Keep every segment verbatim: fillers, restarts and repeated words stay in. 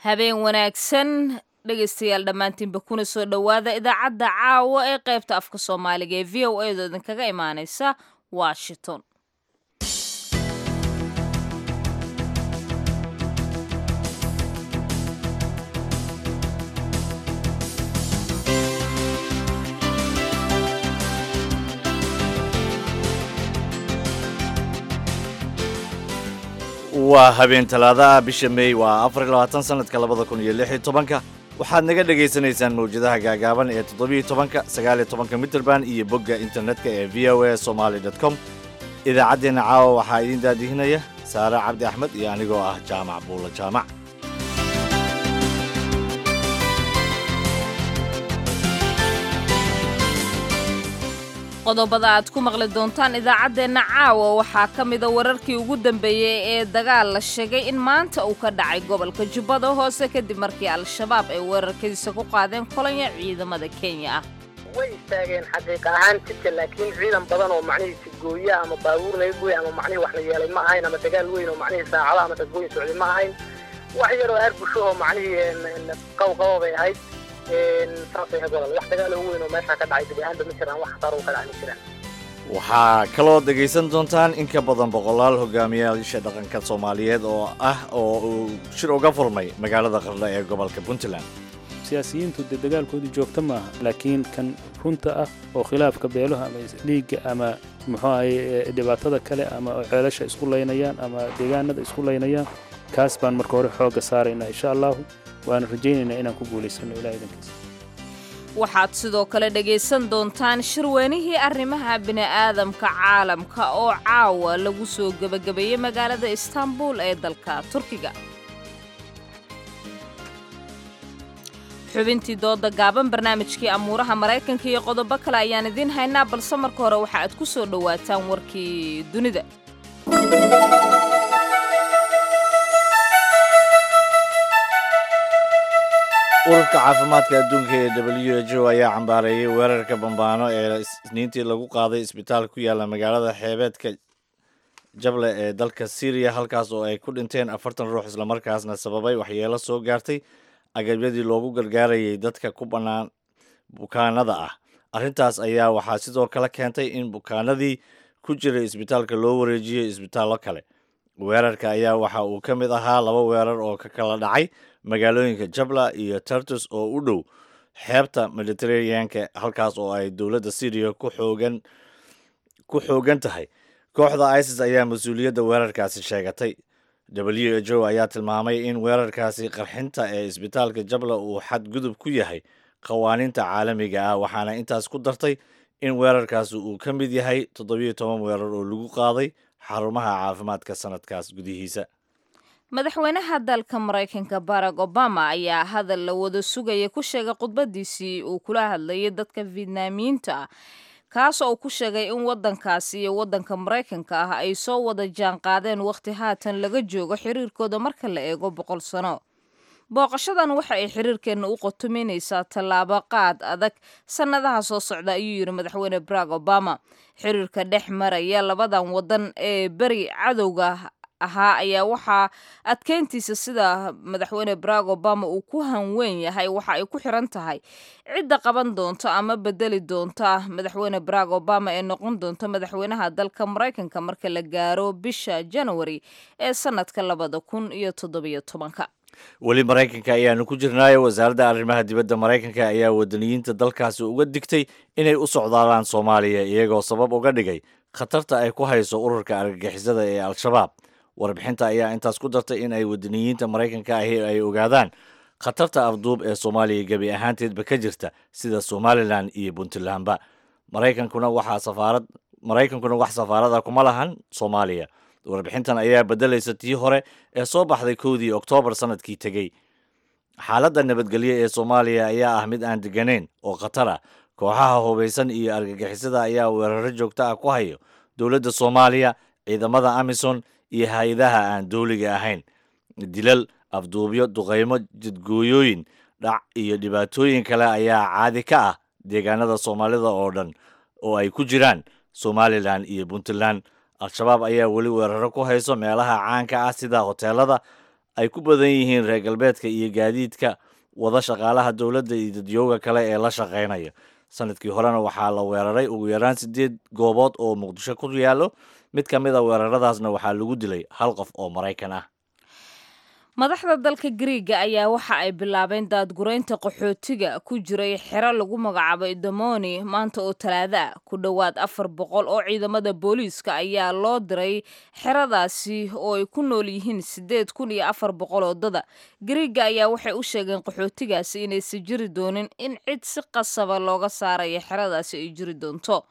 Habeen wanaagsan dhegaystayaal dhammaantiinba, kuna soo dhowaada idaacadda caawa ee qaybta afka Soomaaliga ee V O A da idinkaga imaanaysa Washington. Waa habeen Talaadaha, bisha Mey waa afar iyo labaatan, sanadka labada kun iyo lix iyo tobanka. Waxaad naga dhagaysanaysaan mawjadaha gaagaaban ee toddobiyo tobanka, sagaal iyo tobanka mitrband iyo bogga internetka ee V O A Somali com. Idaacaddeenna caawa waxaa idiin daadihinaya Saare Cabdi Axmed iyo anigoo ah Jaamac Buulo Jaamac. Qodobada aad ku maqli doontaan idaacaddeenna caawa waxaa ka mida wararkii ugu dambeeyey ee dagaal la sheegay in maanta uu ka dhacay gobolka Jubbada Hoose, kadib markii Al-Shabaab ay weerarkiisa ku qaadeen kolanya ciidamada Kenya ah. Way istaageen xaqiiq ahaan jidka, laakiin ciidan badan oo macnihiisi gooya ama baabuur laga gooya ama macnihii wax la yeelay ma ahayn, ama dagaal weyn oo macnihii saacado ama dadgoyn socday ma ahayn. Wax yaroo aarbusho oo macnihii qawqabo bay ahayd. Saasay ahayd walaal. Wax dagaal oo weyn oo meesha ka dhacay gebi ahaanba ma jiraan, wax khasaaro ka dhacay ma jiraan. Waxaa kaloo dhegaysan doontaan in ka badan boqolaal hogaamiyayaasha dhaqanka Soomaaliyeed oo ah oo uu shir uga furmay magaalada Qardho ee gobolka Puntland. Siyaasiyiintu dee dagaalkoodu joogto maaha, laakiin kan runta ah oo khilaafka beeluha ama dhiigga ama muxuu ahaye dhibaatada kale ama ceelasha isku laynayaan ama deegaanada isku laynayaan, kaas baan marka hore xoogga saaraynaa, insha Allahu, waana rajaynaynaa inaan ku guulaysano, Ilaah idankiisa. Waxaad sidoo kale dhegaysan doontaan shirweynihii arrimaha bini'aadamka caalamka oo caawa lagu soo gebagabeeyey magaalada Istanbul ee dalka Turkiga, xubintii dooda gaaban, barnaamijkii amuuraha Maraykanka iyo qodobo kale ayaan idiin haynaa, balse marka hore waxa aad ku soo dhowaataan warkii dunida. Ururka caafimaadka adduunka ee W H O ayaa cambaareeyey weerarka bambaano ee Isniintii lagu qaaday isbitaal ku yaalla magaalada xeebeedka Jable ee dalka Syriya, halkaas oo ay ku dhinteen afartan ruux, islamarkaasna sababay waxyeelo soo gaartay agabyadii loogu gargaarayay dadka ku bannaan bukaanada ah. Arrintaas ayaa waxaa sidoo kale keentay in bukaanadii ku jiray isbitaalka loo wareejiyey isbitaallo kale. Weerarka ayaa waxa uu ka mid ahaa laba weerar oo ka kala dhacay magaalooyinka Jabla iyo Tartus oo u dhow xeebta Mediterraneanka, halkaas oo ay dowladda Syriya ku xoogan ku xoogan tahay. Kooxda ISIS ayaa mas-uuliyadda weerarkaasi sheegatay. W H O ayaa tilmaamay in weerarkaasi qarxinta ee isbitaalka Jabla uu xadgudub ku yahay qawaaniinta caalamiga ah, waxaana intaas ku dartay in weerarkaasi uu ka mid yahay toddobiyo toban weerar oo lagu qaaday xarumaha caafimaadka sanadkaas gudihiisa. Madaxweynaha dalka Maraykanka Barack Obama ayaa hadal la wada sugaya ku sheegay khudbadiisii uu kula hadlayay dadka Vietnaamiyiinta ah, kaas oo uu ku sheegay in waddankaasi iyo waddanka Maraykanka ah ay soo wada jaan qaadeen wakhti haatan laga joogo xiriirkooda marka la eego boqol sano. "Booqashadan waxa ay xiriirkeenna u qotominaysaa tallaabo qaad adag sannadaha soo socda," ayuu yidhi madaxweyne Barack Obama. Xiriirka dhex maraya labadan waddan ee beri cadowga ahaa ayaa waxaa adkeyntiisa, sida madaxweyne Barack Obama uu ku hanweyn yahay, waxa ay ku xiran tahay cidda qaban doonto ama bedeli doonta madaxweyne Barack Obama ee noqon doonta madaxweynaha dalka Maraykanka marka la gaaro bisha January ee sanadka labada kun iyo toddobiyo tobanka. Weli Maraykanka ayaanu ku jirnaayo. Wasaaradda arrimaha dibadda Maraykanka ayaa wadaniyiinta dalkaasi uga digtay inay u socdaalaan Soomaaliya, iyagoo sabab uga dhigay khatarta ay ku hayso ururka argagixisada ee Al-Shabaab. Warbixinta ayaa intaas ku dartay in ay wadaniyiinta Maraykanka ahi ay ogaadaan khatarta afduub ee Soomaaliya gebi ahaanteedba ka jirta, sida Somaliland iyo Puntlandba. Maraykankuna waxaa safaarad Maraykankuna wax safaarada kuma lahan Soomaaliya. Warbixintan ayaa beddelaysa tii hore ee soo baxday kowdii Oktoobar sanadkii tegey. Xaaladda nabadgelyo ee Soomaaliya ayaa ah mid aan deganayn oo khatar ah. Kooxaha hubaysan iyo argagixisada ayaa weeraro joogto ah ku hayo dowladda Soomaaliya, ciidamada AMISOM iyo hay-adaha aan dowliga ahayn. Dilal, afduubyo, duqeymo, jidgooyooyin, dhac iyo dhibaatooyin kale ayaa caadi ka ah deegaanada Soomaalida oo dhan oo ay ku jiraan Somaliland iyo Puntland. Al-Shabaab ayaa weli weeraro ku hayso meelaha caanka ah sida hoteelada ay ku badan yihiin reer galbeedka iyo gaadiidka wada shaqaalaha dowladda iyo dadyooga kale ee la shaqaynaya. Sanadkii horena waxaa la weeraray ugu yaraan sideed goobood oo Muqdisho ku yaallo. Mid ka mid a weeraradaasna waxaa lagu dilay hal qof oo Maraykan ah. Madaxda dalka Gariiga ayaa waxa ay bilaabeen daadguraynta qaxootiga ku jiray xero lagu magacaabo Idomoni maanta oo Talaada ah. Ku dhowaad afar boqol oo ciidamada booliiska ayaa loo diray xeradaasi oo ay ku nool yihiin sideed kun iyo afar boqol oo dada. Gariiga ayaa waxay u sheegeen qaxootigaasi inaysan jiri doonin in cid si qasaba looga saarayo xeradaasi ay jiri doonto.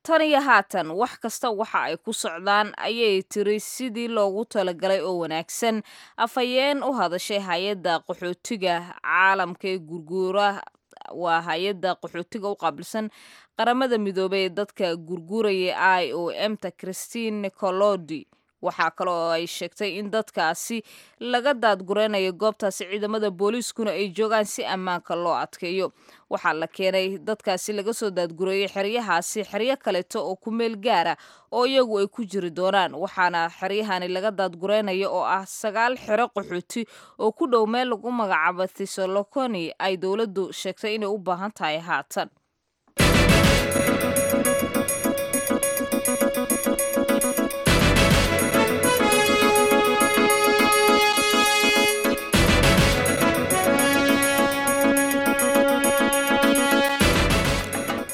Tan iyo haatan wax kasta waxa ay ku socdaan, ayay tiri, sidii loogu talagalay oo wanaagsan afhayeen u hadashay hay-adda qaxootiga caalamka ee gurguura. Waa hay-adda qaxootiga u qaabilsan Qaramada Midoobay ee dadka gurguuraya, I O M ta, Christine Nicolodi. Waxaa kale oo ay sheegtay in dadkaasi laga daadgureynayo goobtaasi, ciidamada booliiskuna ay joogaan si ammaanka loo adkeeyo. Waxaa la keenay dadkaasi laga soo daadgureeyey xeryahaasi xeryo kaleeto oo ku meel gaara oo iyagu ay ku jiri doonaan, waxaana xeryahani laga daadgureynayo oo ah sagaal xero qaxooti oo ku dhow meel lagu magacaabo Thessaloniki ay dowladdu sheegtay inay u baahan tahay haatan.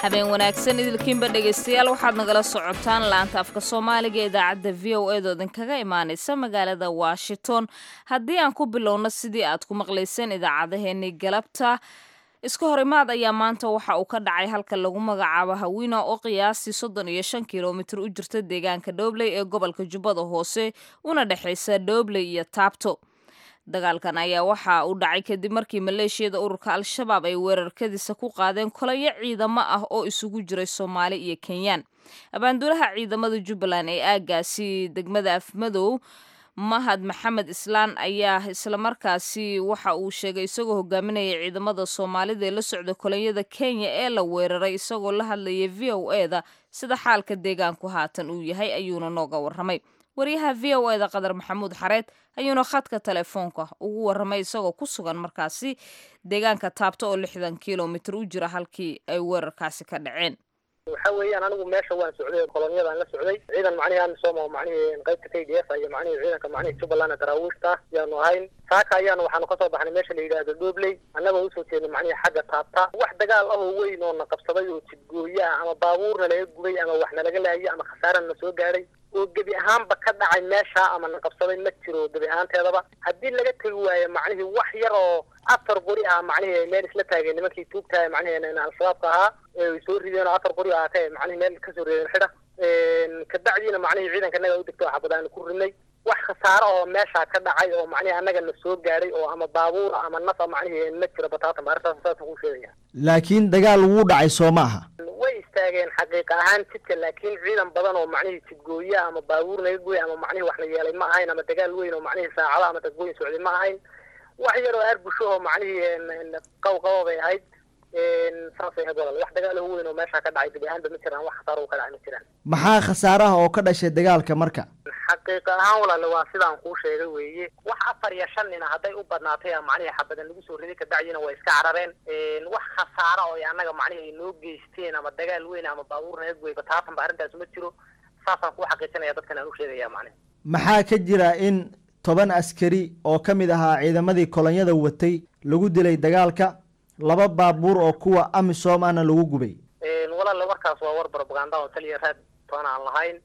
Habeen wanaagsan idilkiinba, dhegaystayaal. Waxaad nagala socotaan laanta afka Soomaaliga ee idaacadda V O A da idinkaga imaaneysa magaalada Washington. Haddii aan ku bilowno, sidii aad ku maqlayseen idaacadaheenii galabta, iska horimaad ayaa maanta waxa uu ka dhacay halka lagu magacaabo Hawina oo qiyaastii soddon iyo shan kilomitir u jirta deegaanka Dhobley ee gobolka Jubbada Hoose, una dhexeysa Dhobley iyo Taabto. Dagaalkan ayaa waxa uu dhacay kadib markii maleeshiyada ururka Al-Shabaab ay weerarkadiisa ku qaadeen kolayo ciidamo ah oo isugu jiray Soomaali iyo Kenyaan. Abaanduulaha ciidamada Jubbaland ee aaggaasi degmada Afmadow, Mahad Maxamed Islaan, ayaa islamarkaasi waxa uu sheegay, isagoo hogaaminaya ciidamada Soomaalida ee la socda kolonyada Kenya ee la weeraray, isagoo la hadlayay V O A da sida xaalka deegaanku haatan uu yahay ayuuna nooga warramay. Wariyaha V O A da Qadar Maxamuud Xareed ayuuna khadka telefoonka ugu warramay isagoo ku sugan markaasi deegaanka Taabto oo lixdan kilomitir u jira halkii ay weerarkaasi ka dhaceen. Waxa weeyaan, anigu meesha waan socday, kolonyadaan la socday, ciidan macnihii AMISOM oo macnihii qaybta K D F iyo macnihii ciidanka macnihii Jubbaland daraawiishta yaanu ahayn. Saaka ayaanu waxaanu kasoo baxnay meesha la yidhaahdo Dhobley, annagoo usoo jeednay macnihii xagga Taabta. Wax dagaal ah oo weyn oo na qabsaday oo jidgooye ah ama baabuurna laga gubay ama wax nalaga laayay ama khasaarana na soo gaadhay oo gebi ahaanba ka dhacay meesha ama na qabsaday ma jiro gebi ahaanteedaba. Haddii laga tegi waayo macnihii wax yar oo afar qori ah macnihii ay meel isla taageen nimankii tuugtahay macnihii Al-Shabaabka ahaa ay soo rideen oo afar qori ahaatee macnihii meel kasoo rideen xidha. Kabacdiina macnihii ciidanka annaga u degto xabad aanu ku ridnay. Wax khasaaro oo meesha ka dhacay oo macnihii annaga na soo gaadhay oo ama baabuur ama nafa macnihii ma jiro bataatan ba. Arrintaas saasaan kuu sheegaya. Laakiin dagaal wuu dhacay, soo ma aha? Way istaageen xaqiiqa ahaan jidka, laakiin ciidan badan oo macnihii jidgooye ama baabuur naga gooy ama macnihii wax la yeelay ma ahayn ama dagaal weyn oo macnihii saacado ama dadgooyin socday ma ahayn. Wax yar oo arbushaho macnihii qawqabo bay ahayd, saasay ahayd walaal. Wax dagaal oo weyn oo meesha ka dhacay gebi ahaanba ma jiraan, wax khasaaro oo ka dhacay ma jiraan. Maxaa khasaaraha oo ka dhashay dagaalka marka? Xaqiiqa ahaan walaale, waa sidaan kuu sheegay weeye. Wax afar iyo shan nina hadday u badnaatay a macnihii xabadan lagu soo riday, kabacdina way iska carareen. Wax khasaara oo annaga macnihii ay noo geysteen ama dagaal weyn ama baabuur naga gooy bataatan ba arrintaas ma jiro. Saasaan kuu xaqiijinaya, dadkan aan u sheegaya macnihi. Maxaa ka jira in toban askari oo ka mid ahaa ciidamadii kolonyada watay lagu dilay dagaalka, laba baabuur oo kuwa AMISOM ahna lagu gubay? Walaale, warkaas waa war propaganda oo taliya raad toona aan lahayn,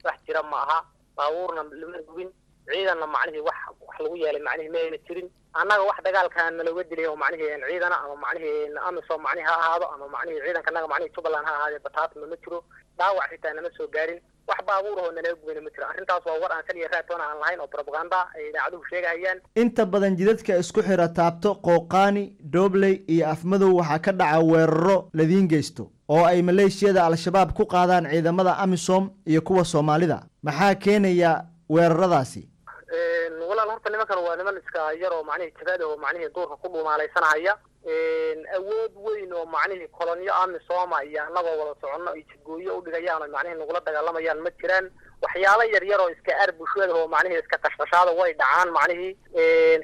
wax jira ma aha. Baabuurna lama gubin, ciidanna macnihii wax wax lagu yeelay macnihii ma ayna jirin. Annaga wax dagaalkaa nalooga dilay oo macnihii ciidana ama macnihii AMISOM macnihi ha ahaado ama macnihii ciidanka annaga macnihii Jubbaland ha ahaadee bataatma ma jiro. Dhaawac xitaa nama soo gaarin, wax baabuur oo nalaga gubayna ma jiro. Arrintaas waa war aan saliya raad toona aan lahayn oo propaganda ay idaacaduhu sheegahayaan. Inta badan jidadka isku xira Taabto, Qooqaani, Dhobley iyo Afmadow waxaa ka dhaca weeraro ladiin geysto oo ay maleeshiyada Al-Shabaab ku qaadaan ciidamada AMISOM iyo kuwa Soomaalida. Maxaa keenaya weeraradaasi? Walaal, horta nimankan waa niman iska yar oo macnihii jabaad oo macnihii duurka ku dhuumaalaysanahaya. Awood weyn oo macnihii kolonyo amisoma iyo annagoo wada soconno ay jidgooyo u dhigayaan oo macnihii nagula dagaalamayaan ma jiraan. Waxyaalo yar yar oo iska aar bulshada oo macnihii iska qashqashaada way dhacaan, macnihii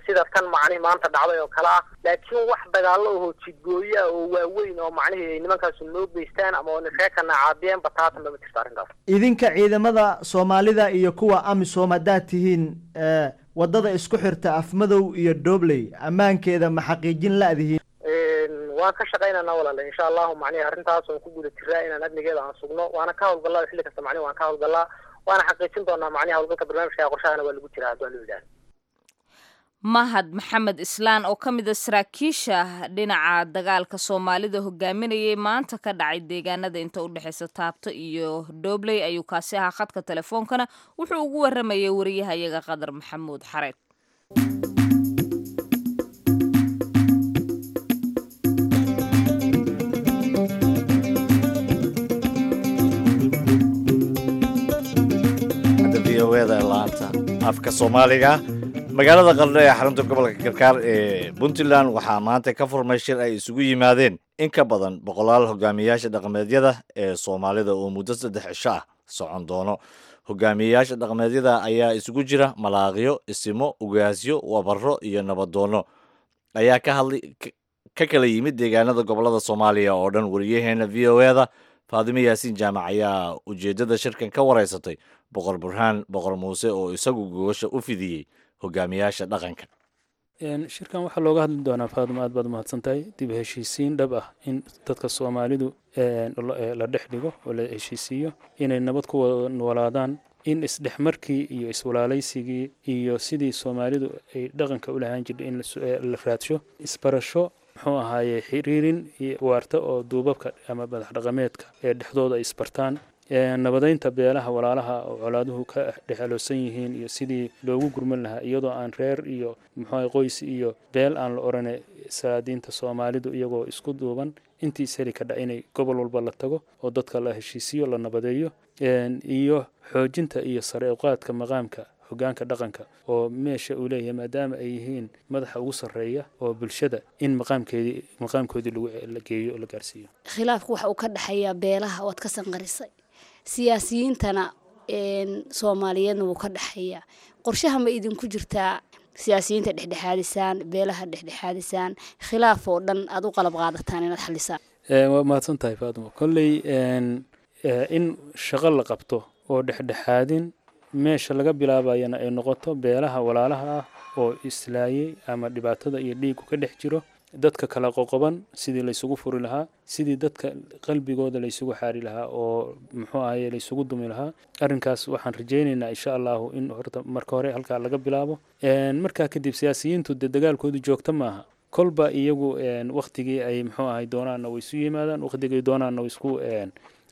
sida tan macnihii maanta dhacday oo kale ah, laakiin wax dagaallo oo jidgooyo ah oo waaweyn oo macnihii ay nimankaasu noo geystaan ama oo reekana caabiyeen bataatanba ma jirto arrintaas. Idinka ciidamada Soomaalida iyo kuwa AMISOM haddaad tihiin, waddada isku xirta Afmadow iyo Dhobley ammaankeeda ma xaqiijin la'dihiin? Waan ka shaqaynaynaa walaale, insha allahu macnihi arrintaas waan ku guda jiraa inaan amnigeeda aan sugno, waana ka hawlgallaa xilli kasta, macnihi waan ka hawlgallaa, waana xaqiijin doonaa macnihi hawlgalka barnaamijka qorshahana waa lagu jiraa haddii loo yidhaahdo. Mahad Maxamed Islaan oo ka mid a saraakiisha dhinaca dagaalka Soomaalida hogaaminayay maanta ka dhacay deegaanada inta u dhexeysa Taabto iyo Dhobley ayuu kaasi ahaa. Khadka telefoonkana wuxuu ugu waramayay wariyahayaga Qadar Maxamuud Xareed. Laanta afka Soomaaliga, magaalada Qardho ee xarunta gobolka Karkaar ee Puntland waxaa maanta ka furmay shir ay isugu yimaadeen in ka badan boqolaal hogaamiyayaasha dhaqameedyada ee Soomaalida oo muddo saddex cisho ah socon doono. Hogaamiyayaasha dhaqameedyada ayaa isugu jira malaaqyo, isimo, ugaasyo, wabaro iyo nabadoono ayaa ka hadlay ka kala yimid deegaanada gobolada Soomaaliya oo dhan. Wariyaheena V O E-da Faadimo Yaasiin Jaamac ayaa ujeeddada shirkan ka wareysatay Boqor Burhaan Boqor Muuse oo isagu gogosha u fidiyey hogaamiyaasha dhaqanka. Shirkan waxaa looga hadli doonaa, Faadimo aad baad umahadsan tahay, dib heshiisiin dhab ah in dadka Soomaalidu la dhex dhigo oo la heshiisiiyo, inay nabad ku wada noolaadaan, in isdhexmarkii iyo iswalaalaysigii iyo sidii Soomaalidu ay dhaqanka u lahaan jirtay in la raadsho, isbarasho, muxuu ahaaye, xiriirin waarta oo duubabka ama madax dhaqameedka ee dhexdooda ay isbartaan, nabadeynta beelaha walaalaha oo colaaduhu ka dhexaloosan yihiin iyo sidii loogu gurman lahaa iyadoo aan reer iyo muxuu qoys iyo beel aan la orane, salaadiinta Soomaalidu iyagoo isku duuban intii isheli ka dha inay gobol walba la tago oo dadka la heshiisiyo, la nabadeeyo, iyo xoojinta iyo sare uqaadka maqaamka hogaanka dhaqanka oo meesha uu leeyahay, maadaama ay yihiin madaxa ugu sarreeya oo bulshada, in maqaamkeedii maqaamkoodii lagu la geeyo oo la gaarsiiyo. Khilaafku waxa uu ka dhexeeyaa beelaha oad ka sanqarisay, siyaasiyiintana Soomaaliyeedna wuu ka dhexeeyaa. Qorshaha ma idinku jirtaa siyaasiyiinta dhexdhexaadisaan, beelaha dhexdhexaadisaan, khilaaf oo dhan aad u qalab qaadataan inaad xalisaan? Waa mahadsan tahay Faatimo. Kolley in shaqo la qabto oo dhexdhexaadin meesha laga bilaabayana ay noqoto beelaha walaalaha ah oo islaayay ama dhibaatada iyo dhiigu ka dhex jiro, dadka kala qoqoban sidii laysugu furi lahaa, sidii dadka qalbigooda laysugu xaari lahaa oo muxuu ahaye laysugu dumi lahaa. Arrinkaas waxaan rajaynaynaa insha allahu in horta marka hore halkaa laga bilaabo. Markaa kadib siyaasiyiintu dee dagaalkoodu joogto maaha, kolba iyagu waktigii ay muxuu ahay doonaanna way isu yimaadaan, waktigii doonaanna way isku,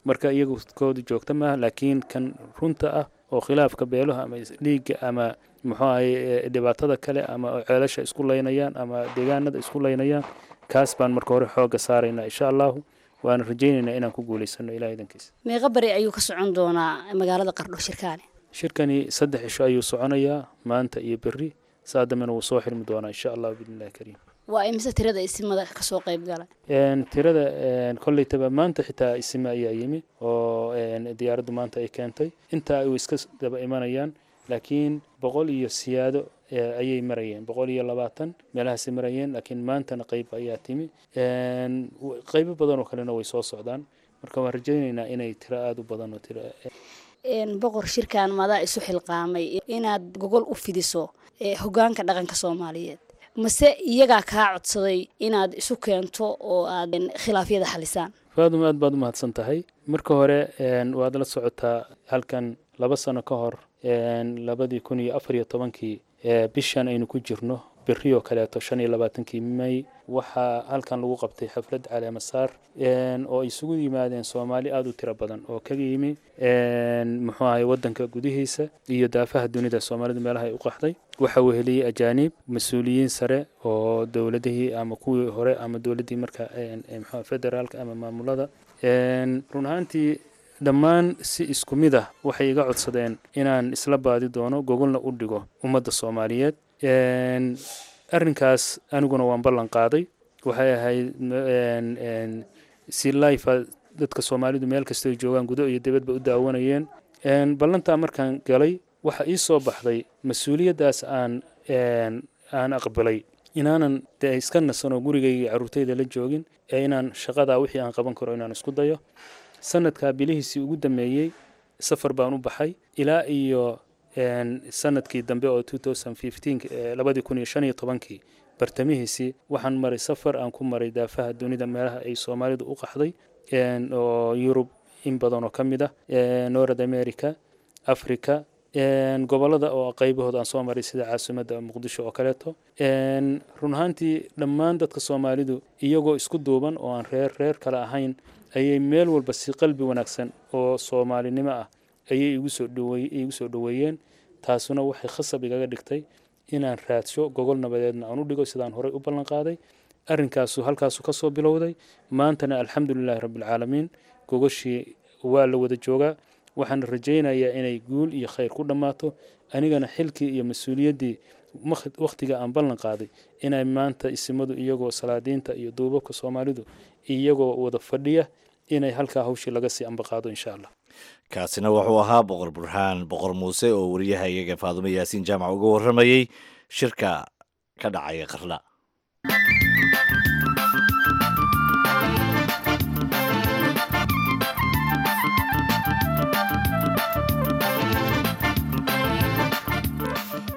marka iyagu koodu joogto maaha. Laakiin kan runta ah oo khilaafka beeluha ama dhiigga ama muxuu ahay dhibaatada kale ama ceelasha isku laynayaan ama deegaanada isku laynayaan, kaas baan marka hore xoogga saaraynaa insha allahu, waana rajaynaynaa inaan ku guulaysano Ilaah idankiisa. Meeqa bari ayuu ka socon doonaa magaalada Qardho shirkaani? Shirkani saddex cisho ayuu soconayaa, maanta iyo berri, saa dambena wuu soo xirmi doonaa insha allahu biidnillahi kariim. Waa imise tirada isimada kasoo qayb galay? Tirada kolleytaba maanta xitaa isime ayaa yimi oo diyaaraddu maanta ay keentay, intaa ay iska daba imanayaan, laakiin boqol iyo siyaado ayay marayeen, boqol iyo labaatan meelahaasay marayeen, laakiin maantana qayb ayaa timi, qaybo badan oo kalena way soo socdaan. Marka waan rajaynaynaa inay tiro aada u badan oo tiro. Boqor, shirkan madaa isu xilqaamay inaad gogol u fidiso hogaanka dhaqanka Soomaaliyeed, mase iyagaa kaa codsaday inaad isu keento oo aad khilaafyada xalisaan? Faaduma, aad baad umahadsan tahay. Marka hore waad la socotaa halkan laba sano ka hor, labadii kun iyo afar iyo tobankii, bishan aynu ku jirno berri oo kaleeto shan iyo labaatankii May, waxaa halkan lagu qabtay xaflad caleemasaar oo ay isugu yimaadeen Soomaali aada u tiro badan oo kaga yimi muxuu ahay waddanka gudihiisa iyo daafaha dunida Soomaalidu meelaha ay u qaxday. Waxaa weheliyey ajaaniib, mas-uuliyiin sare oo dowladihii ama kuwii hore ama dowladdii marka muxuu federaalka ama maamulada. Run ahaantii dhammaan si isku mid ah waxay iga codsadeen inaan isla baadi doono gogolna u dhigo ummadda Soomaaliyeed. Arrinkaas aniguna waan ballan qaaday. Waxay ahayd si life dadka Soomaalidu meel kasta ay joogaan, gudo iyo dibadba, u daawanayeen. Ballantaa markaan galay, waxa ii soo baxday mas-uuliyaddaas aan aan aqbalay inaanan dee iska nasanoo gurigayga carruurtayda la joogin, ee inaan shaqadaa wixii aan qaban karo inaan isku dayo. Sanadkaa bilihiisii ugu dambeeyey safar baan u baxay ilaa iyo sanadkii dambe oo labadii kun iyo shan iyo tobankii bartamihiisii. Waxaan maray safar aan ku maray daafaha dunida, meelaha ay Soomaalidu u qaxday, oo Yurub in badan oo ka mid ah, North America, Africa, gobolada oo qaybahooda aan soo maray, sida caasimadda Muqdisho oo kaleeto. Run ahaantii, dhammaan dadka Soomaalidu iyagoo isku duuban oo aan reer reer kale ahayn ayay meel walba si qalbi wanaagsan oo Soomaalinimo ah ayay igu soo dhaweey igu soo dhaweeyeen. Taasuna waxay khasab igaga dhigtay inaan raadsho gogol nabadeedna aan u dhigo, sidaan horey u ballan qaaday. Arrinkaasu halkaasu ka soo bilowday. Maantana, alxamdulilaahi rabbilcaalamiin, gogoshii waa la wada joogaa. Waxaan rajaynayaa inay guul iyo khayr ku dhammaato. Anigana xilkii iyo mas-uuliyaddii wakhtiga aan ballan qaaday inay maanta isimadu, iyagoo salaadiinta iyo duubabka Soomaalidu iyagoo wada fadhiya, inay halkaa hawshii laga sii ambaqaado, insha Allah. Kaasina wuxuu ahaa Boqor Burhaan Boqor Muuse oo wariyaha iyaga Faadumo Yaasiin Jaamac uga warramayey shirka ka dhacaya Qardho.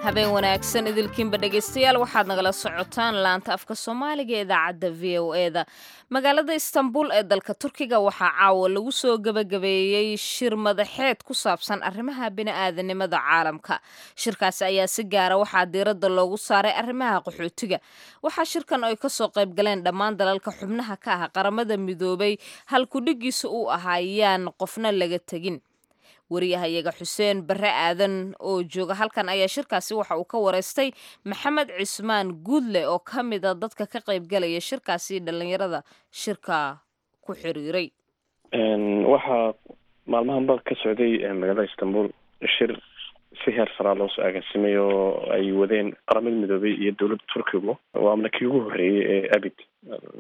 Habeen wanaagsan idilkiinba, dhegaystayaal. Waxaad nagala socotaan laanta afka Soomaaliga ee idaacadda V O E da. Magaalada Istanbul ee dalka Turkiga waxaa caawa lagu soo gebagabeeyey shir madaxeed ku saabsan arrimaha bini'aadanimada caalamka. Shirkaasi ayaa si gaara waxaa diiradda loogu saaray arrimaha qaxootiga. Waxaa shirkan ay kasoo qayb galeen dhammaan dalalka xubnaha ka ah Qaramada Midoobay. Halkudhigiisa uu ahaa "Yaan qofna laga tegin". Wariyahayaga Xuseen Barre Aadan oo jooga halkan ayaa shirkaasi waxa uu ka wareystay Maxamed Cismaan Guudle oo ka mid a dadka ka qaybgalaya shirkaasi, dhallinyarada shirka ku xiriiray. Waxaa maalmahanba ka socday magaalada Istanbul shir si heer saraa loo soo agaasimay oo ay wadeen Qaramada Midoobay iyo dowladda Turkigu. Waana kii ugu horreeyey ee abid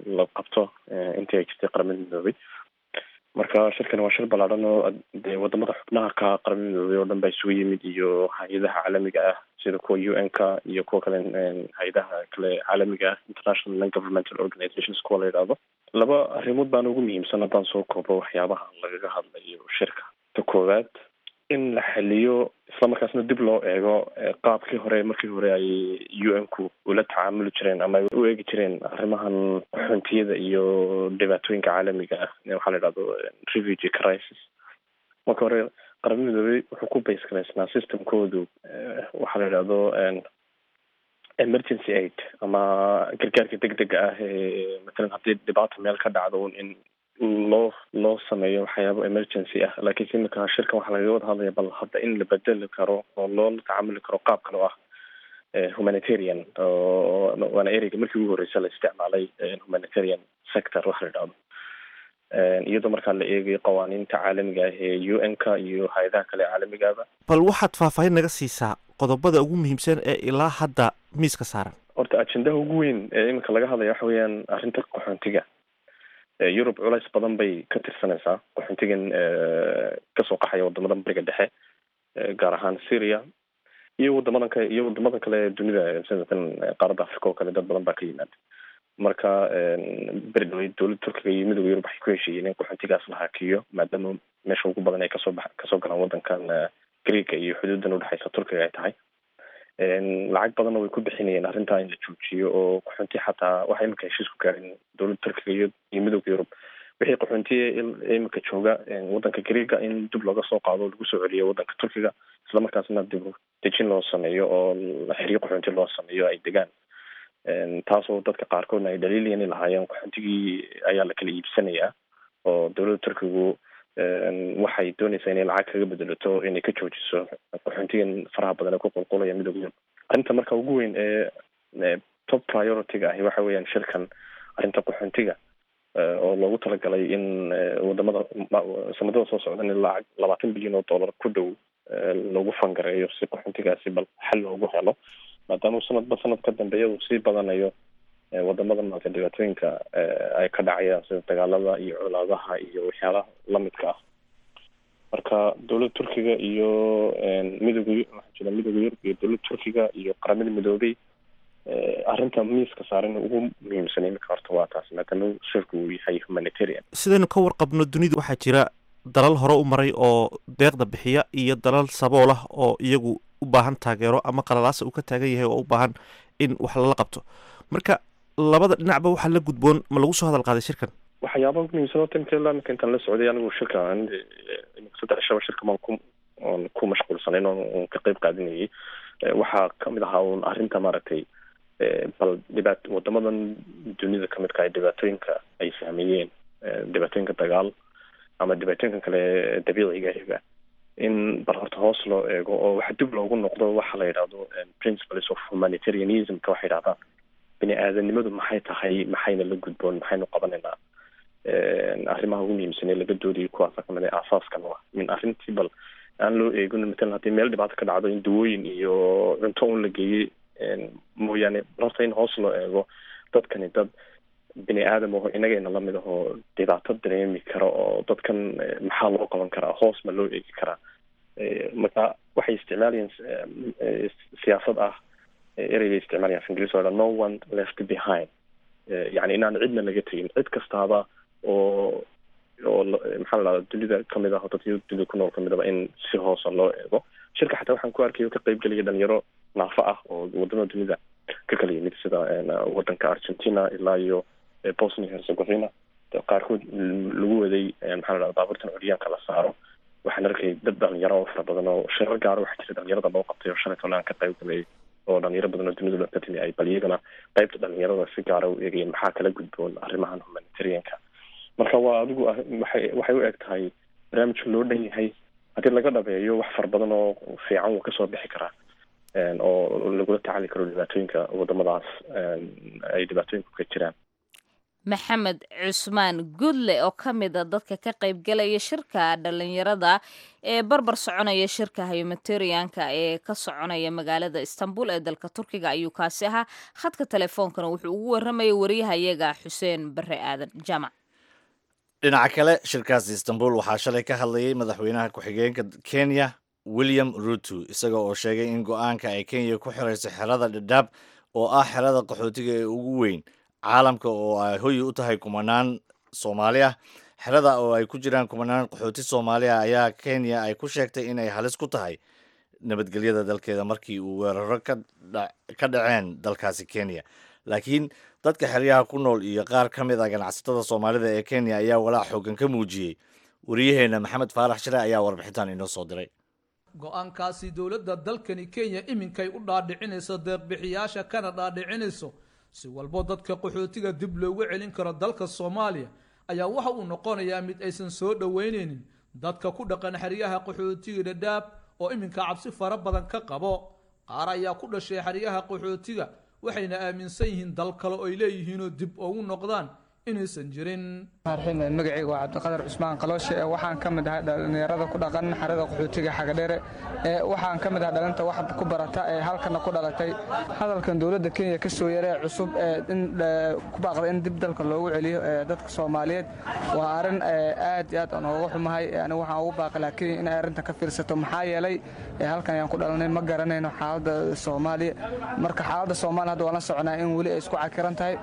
la qabto intii ay jirtay Qaramada Midoobay. Marka shirkan waa shir ballaadhan oo dee wadamada xubnaha ka Qaramada Midoobay oo dhan baa isugu yimid, iyo hay-adaha caalamiga ah sida kuwa U N ka iyo kuwa kale, hay-adaha kale caalamiga ah, international non governmental organizations kuwa la yidhaahdo. Laba arrimood baana ugu muhiimsan haddaan soo koobo waxyaabaha lagaga hadlayo shirka. Ta koowaad, in la xaliyo islamarkaasna dib loo eego qaabkii hore, markii hore ay U N ku ula tacaamuli jireen ama ay u eegi jireen arrimahan qaxoontiyada iyo dhibaatooyinka caalamiga ah, waxaa la yidhahdo refugee crisis. Marka hore Qaramada Midoobey wuxuu ku base garaysnaa systemkoodu waxaa la yidhahdo emergency aid ama gargaarka degdega ah, ee matalan haddii dhibaata meel ka dhacdo un in loo loo sameeyo waxyaabo emergency ah. Laakiinse imika shirkan waxaa lagaga wada hadlaya bal hadda in la bedeli karo oo loola tacaamuli karo qaab kale oo ah humanitarian, oo waana ereyga markii ugu horeysa la isticmaalay, humanitarian sector waxa la yidhahdo, iyadoo markaa la eegayo qawaaniinta caalamiga ah ee U N ka iyo hay-adaha kale caalamigaba. Bal waxaad faahfaahin naga siisaa qodobada ugu muhiimsan ee ilaa hadda miiska saaran. Horta ajendaha ugu weyn ee iminka laga hadlaya waxa weeyaan arrinta qaxoontiga. Yurub culays badan bay ka tirsanaysaa qaxoontigan kasoo qaxaya wadamadan Bariga Dhexe, gaar ahaan Syria iyo wadamadan kale iyo wadamadan kale ee dunida, sida tan qaaradda Africa oo kale, dad badan baa ka yimaada. Marka beri dhawey dowladda Turkiga iyo Midowda Yurub waxay ku heshiiyeen in qaxoontigaas la hakiyo, maadaama meesha ugu badan ay kasoo bax kasoo galaan wadankan Greega iyo xuduudan udhexeysa Turkiga ay tahay. Lacag badanna way ku bixinayeen arrintaa in la joojiyo oo qaxoonti xataa waxay iminka heshiis ku gaareen dowladda Turkiga iyo iyo Midowda Yurub, wixii qaxoontiya iminka jooga wadanka Greega in dib looga soo qaado oo lagu soo celiyo wadanka Turkiga, islamarkaasna dib dejin loo sameeyo oo xeryo qaxoonti loo sameeyo ay degaan. Taasoo dadka qaarkoodna ay dhaliilayeen lahaayeen qaxoontigii ayaa la kala iibsanayaa oo dowladda Turkigu waxay doonaysaa inay lacag kaga bedelato inay ka joojiso qaxoontigan faraha badan ee ku qulqulaya Midowda Yurub. Arrinta marka ugu weyn ee top priority-ga ahi waxa weeyaan shirkan arrinta qaxoontiga, oo loogu talagalay in wadamada sanadada soo socdan in lacag labaatan bilyan oo dollar ku dhow lagu fangareeyo si qaxoontigaasi bal xal loogu helo, maadaama sanadba sanad ka dambeeya uu sii badanayo. Wadamada maaragtay dhibaatooyinka ay ka dhacayaan sida dagaalada iyo colaadaha iyo waxyaalaha lamidka ah. Marka dowladda Turkiga iyo midooda, waxaa jira Midooda Yurub iyo dowladda Turkiga iyo Qaramada Midoobay, arrinta miiska saaran ugu muhiimsan iminka horta waa taas, maadaama shirku uu yahay humanitarian. Sidaynu ka warqabno, dunidu waxaa jira dalal hore u maray oo deeqda bixiya iyo dalal sabool ah oo iyagu u baahan taageero ama qalalaasa uu ka taagan yahay oo u baahan in wax lala qabto. Marka labada dhinacba waxaa la gudboon ma lagu soo hadal qaaday shirkan? Waxyaabaha ugu muhiimsan horta imika ilaa imika intaan la socday anigu shirka, imika saddex shaba shirka baan ku oon ku mashquulsanayn oon ka qeyb qaadanayay, waxaa kamid ahaa uun arrinta maaragtay bal dhibaat wadamadan dunida kamidka ah dhibaatooyinka ay saameeyeen, dhibaatooyinka dagaal ama dhibaatooyinka kale dabiiciga ahiba, in bal horta hoos loo eego oo waxa dib loogu noqdo waxa la yidhahdo principles of humanitarianismka. Waxay yidhahdaan bini aadanimadu maxay tahay, maxayna la gudboon, maxaynu qabanaynaa. Arrimaha ugu muhiimsan ee laga doodayo kuwaasa kamid ah, aasaaskan ah in arrintii bal aan loo eegin matalan haddii meel dhibaato ka dhacdo in dawooyin iyo cunto un la geeyey mooyaane, horta in hoos loo eego dadkani dad bini aadam aho inagayna lamid ahoo dhibaato dareemi kara, oo dadkan maxaa loo qaban karaa, hoos ma loo eegi karaa. Marka waxay isticmaalayeen siyaasad ah, ereybay isticmaalayaan af Ingiriis oo dhan, "no one left behind", yani inaan cidna laga tegin, cid kastaaba oo oo maxaa la dhahda dunida kamid ah oo dadka dunida ku nool kamid aba in si hoosa loo eego. Shirka xataa waxaan ku arkay oo ka qayb gelaya dhalinyaro naafo ah oo wadamada dunida ka kala yimid, sida wadanka Argentina ilaa iyo Bosnia Herzegovina, qaarkood lagu waday maxaa la dhahda baabuurtan curyaanka la saaro. Waxaan arkay dad dhalinyaro oo fara badan oo shirar gaaro waxaa jira dhalinyarada loo qabtay oo shalay toole aan ka qayb galay, oo dhalinyaro badan oo dunida ka timi ay bal iyagana qaybta dhalinyarada si gaara u eegayeen maxaa kala gudboon arrimahan humanitarianka. Marka waa adigu waxay waxay u eg tahay barnaamijka loo dhan yahay, haddii laga dhabeeyo wax fara badan oo fiican wuu kasoo bixi karaa oo lagula tacaali karo dhibaatooyinka wadamadaas ay dhibaatooyinku ka jiraan. Maxamed Cusmaan Gudle oo ka mid a dadka ka qaybgalaya shirka dhalinyarada ee barbar soconaya shirka humanitarianka ee ka soconaya magaalada Istanbul ee dalka Turkiga ayuu kaasi ahaa. Khadka telefoonkana wuxuu ugu waramayay wariyahayaga Xuseen Bare Aadan Jaamac. Dhinaca kale, shirkaasi Istanbul waxaa shalay ka hadlayay madaxweynaha ku-xigeenka Kenya William Ruto, isaga oo sheegay in go-aanka ay Kenya ku xirayso xerada Dhadhaab oo ah xerada qaxootiga ee ugu weyn caalamka oo ay hoyi u tahay kumanaan Soomaali ah. Xerada oo ay ku jiraan kumanaan qaxooti Soomaali ah ayaa Kenya ay ku sheegtay in ay halis ku tahay nabadgelyada dalkeeda markii uu weeraro ka dhaceen dalkaasi Kenya. Laakiin dadka xeryaha ku nool iyo qaar ka mid ah ganacsatada Soomaalida ee Kenya ayaa walaac xoogan ka muujiyey. Wariyaheena Maxamed Faarax Shire ayaa warbixintan inoo soo diray. Go-aankaasi dowladda dalkani Kenya iminkay u dhaadhicinayso deeqbixiyaasha kana dhaadhicinayso si walbo dadka qaxootiga dib loogu celin karo dalka Soomaaliya ayaa waxa uu noqonayaa mid aysan soo dhoweyneynin dadka ku dhaqan xeryaha qaxootiga Dhadhaab oo iminka cabsi fara badan ka qabo. Qaar ayaa ku dhashay xeryaha qaxootiga, waxayna aaminsan yihiin dal kale oo ay leeyihiinoo dib ugu noqdaan inaysan jirin. Magacayga waa Cabdiqadar Cusmaan Qalooshe. Waxaan ka mid ahay dhalinyarada ku dhaqan xerada qaxootiga Xagadheere. Waxaan ka mid ahay dhalinta wax ku barata ee halkana ku dhalatay. Hadalkan dowladda Kenya ka soo yaree cusub ee in ku baaqda in dib dalka loogu celiyo dadka Soomaaliyeed waa arrin aad iyo aad aan uga xumahay. Anigu waxaan ugu baaqi lahaa Kenya in ay arrinta ka fiirsato, maxaa yeelay halkan ayaan ku dhalanay, ma garanayno xaaladda Soomaaliya. Marka xaaladda Soomaaliya hadda waan la soconaa in weli ay isku cakiran tahay.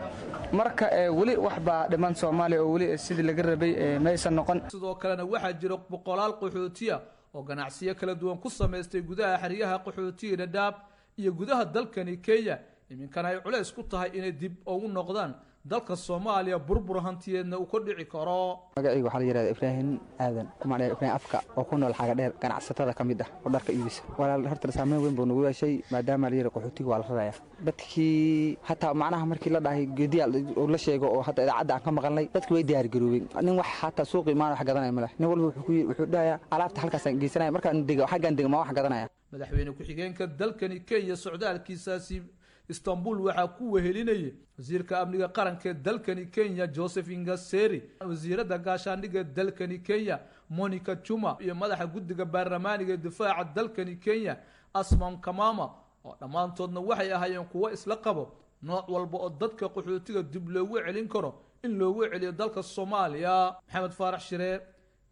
Marka weli wax baa dhiman Soomaaliya oo weli sidii laga rabay maysan noqon. Sidoo kalena waxaa jira boqolaal qaxootiya oo ganacsiyo kala duwan ku samaystay gudaha xeryaha qaxootiga Dhadhaab iyo gudaha dalkani Kenya, iminkana ay culays ku tahay inay dib ugu noqdaan dalka Soomaaliya, burbur hantiyeedna uu ka dhici karo. Magacayga waxaa la yidhahdaa Ibraahim Aadan, ku macnaa Ibraahim Afka, oo ku nool Xagadheer, ganacsatada ka mid ah oo dharka iibisa. Walaal, horta saameyn weyn buu nagu yeeshay maadaama la yidhi qaxootiga waa la raraya. Dadkii hataa macnaha markii la dhahay geediya oo la sheego oo hadda idaacadda aan ka maqalnay, dadki way diyaar garoobeen. Nin wax hataa suuqa imaan wax gadanaya ma leh. Nin walba wuxuu wuxuu dhahayaa alaabta halkaasaan geysanaya, markaan dego xaggaan dego ma wax gadanaya. Madaxweyne ku-xigeenka dalkani Kenya socdaalkiisaasi Istanbul waxaa ku wehelinayay wasiirka amniga qaranka ee dalkani Kenya Joseph Nkaissery, wasiiradda gaashaandhigga dalkani Kenya Monica Juma iyo madaxa guddiga baarlamaaniga ee difaaca dalkani Kenya Asman Kamama, oo dhammaantoodna waxay ahaayeen kuwo isla qabo Nooc walba oo dadka qaxootiga dib loogu celin karo in loogu celiyo dalka Soomaaliya. Maxamed Faarax Shire,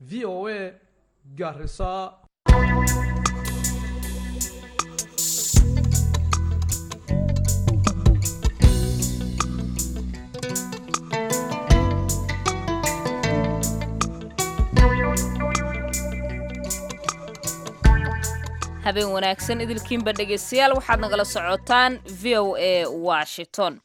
V O A, Garissa. Habeen wanaagsan idilkiinba dhegeystayaal, waxaad nagala socotaan V O A Washington.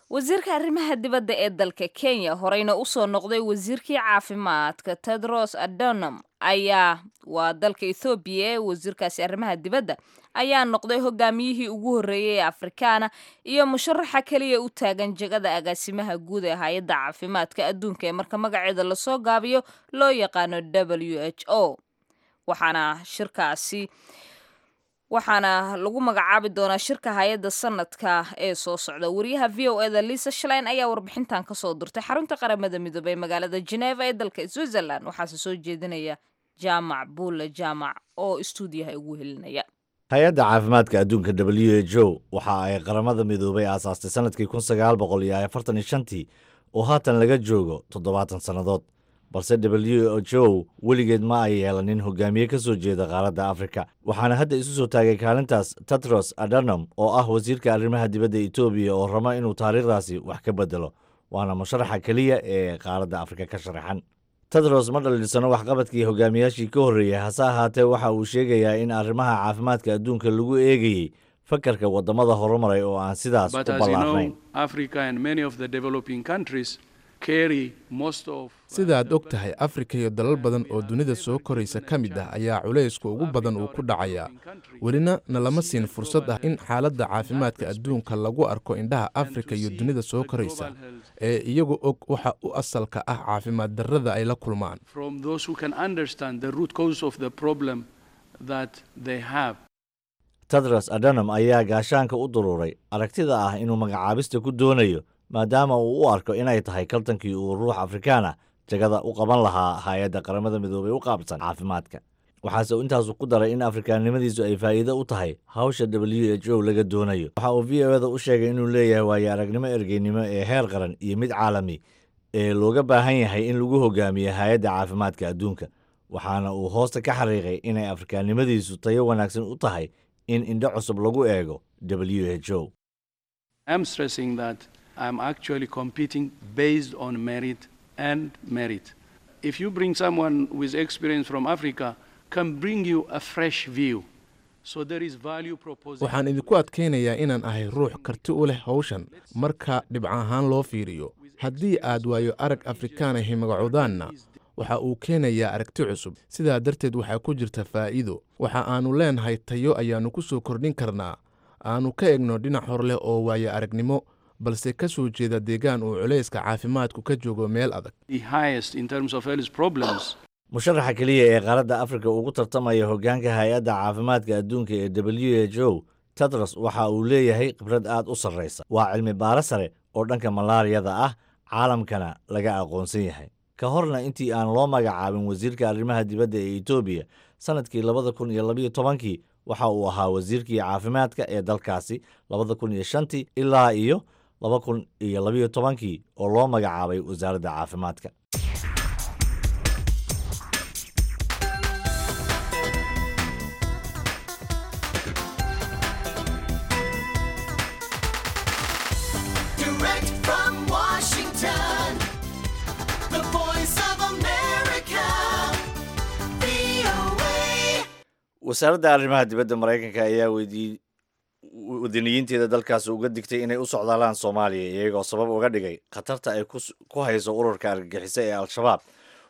Wasiirka arrimaha dibadda ee dalka Kenya, horeyna usoo noqday wasiirkii caafimaadka, Tedros Adhanom, ayaa waa dalka Ethoobiya ee wasiirkaasi arrimaha dibadda ayaa noqday hogaamiyihii ugu horreeyay ee Afrikaana iyo musharaxa keliya u taagan jegada agaasimaha guud ee hay-adda caafimaadka adduunka ee marka magaceeda lasoo gaabiyo loo yaqaano W H O. Waxaana shirkaasi waxaana lagu magacaabi doonaa shirka hay-adda sanadka ee soo socda. Wariyaha V O E-da Lisa Schlein ayaa warbixintan kasoo dirtay xarunta Qaramada Midoobay ee magaalada Geneva ee dalka Switzerland, waxaase soo jeedinaya Jaamac Buule Jaamac oo istuudiyaha ugu helinaya. Hay-adda caafimaadka adduunka W H O waxa ay Qaramada Midoobay aasaastay sanadkii kun sagaal boqol iyo afartan iyo shantii oo haatan laga joogo toddobaatan sannadood, balse W H O weligeed ma ay yeelanin hogaamiye ka soo jeeda qaaradda Afrika. Waxaana hadda isu soo taagay kaalintaas Tedros Adhanom oo ah wasiirka arrimaha dibadda Etoobiya oo raba inuu taariikhdaasi wax ka bedelo, waana musharaxa keliya ee qaaradda Afrika ka sharaxan. Tedros ma dhaliilsano waxqabadkii hogaamiyaashii ka horreeyey, hase ahaatee waxa uu sheegayaa in arrimaha caafimaadka adduunka lagu eegayey fakarka waddamada horumaray oo aan sidaas u But as you ballaarnayn. know, Africa and many of the developing countries carry most of Sida aad og tahay, Afrika iyo dalal badan oo dunida soo koraysa ka mid ah ayaa culaysku ugu badan uu ku dhacayaa. Welina nalama siin fursad ah in xaaladda caafimaadka adduunka lagu arko indhaha Afrika iyo dunida soo koraysa ee iyagu og waxa u asalka ah caafimaad darrada ay la kulmaan. from those who can understand the root cause of the problem that they have. Tedros Adhanom ayaa gaashaanka u duruuray aragtida ah inuu magacaabista ku doonayo maadaama uu u arko inay tahay kaltankii uu ruux Afrikaan ah jagada u qaban lahaa hay-adda Qaramada Midoobay u qaabsan caafimaadka. Waxaase uu intaasu ku daray in afrikaannimadiisu ay faa'iido u tahay hawsha W H O laga doonayo. Waxa uu V O E-da u sheegay inuu leeyahay waayo aragnimo ergeynimo ee heer qaran iyo mid caalami ee looga baahan yahay in lagu hogaamiyo hay-adda caafimaadka adduunka, waxaana uu hoosta ka xariiqay inay afrikaannimadiisu tayo wanaagsan u tahay in indho cusub lagu eego W H O. I'm stressing that I'm actually competing based on merit and merit. If you bring someone with experience from Africa, can bring you a fresh view. So there is value proposition. Waxaan idinku adkaynayaa inaan ahay ruux karti u leh hawshan marka dhibco ahaan loo fiiriyo. Haddii aad waayo arag Afrikaan ahi magacoodaanna, waxa uu keenayaa aragti cusub. Sidaa darteed waxaa ku jirta faa'iido. Waxa aanu leenahay tayo ayaannu ku soo kordhin karnaa, aanu ka egno dhinac hor leh oo waayo aragnimo, balse ka soo jeeda deegaan uu culayska caafimaadku ka joogo meel adag. The highest in terms of health problems. Musharaxa keliya ee qaaradda Afrika ugu tartamaya hoggaanka hay-adda caafimaadka adduunka ee W H O, Tedros waxa uu leeyahay khibrad aad u sarraysa. Waa cilmi baaro sare oo dhanka malaariyada ah, caalamkana laga aqoonsan yahay. Ka horna intii aan loo magacaabin wasiirka arrimaha dibadda ee Etoobiya sanadkii labada kun iyo labiyo tobankii, waxa uu ahaa wasiirkii caafimaadka ee dalkaasi labada kun iyo shantii ilaa iyo laba kun iyo labiyo tobankii oo loo magacaabay wasaaradda caafimaadka. Direct from Washington, the voice of America, V O A. Wasaaradda arrimaha dibadda Maraykanka ayaa weydiiyey wadaniyiinteeda dalkaasi uga digtay inay u socdaalaan Soomaaliya, iyagoo sabab uga dhigay khatarta ay kus- ku hayso ururka argagixisa ee Al-Shabaab.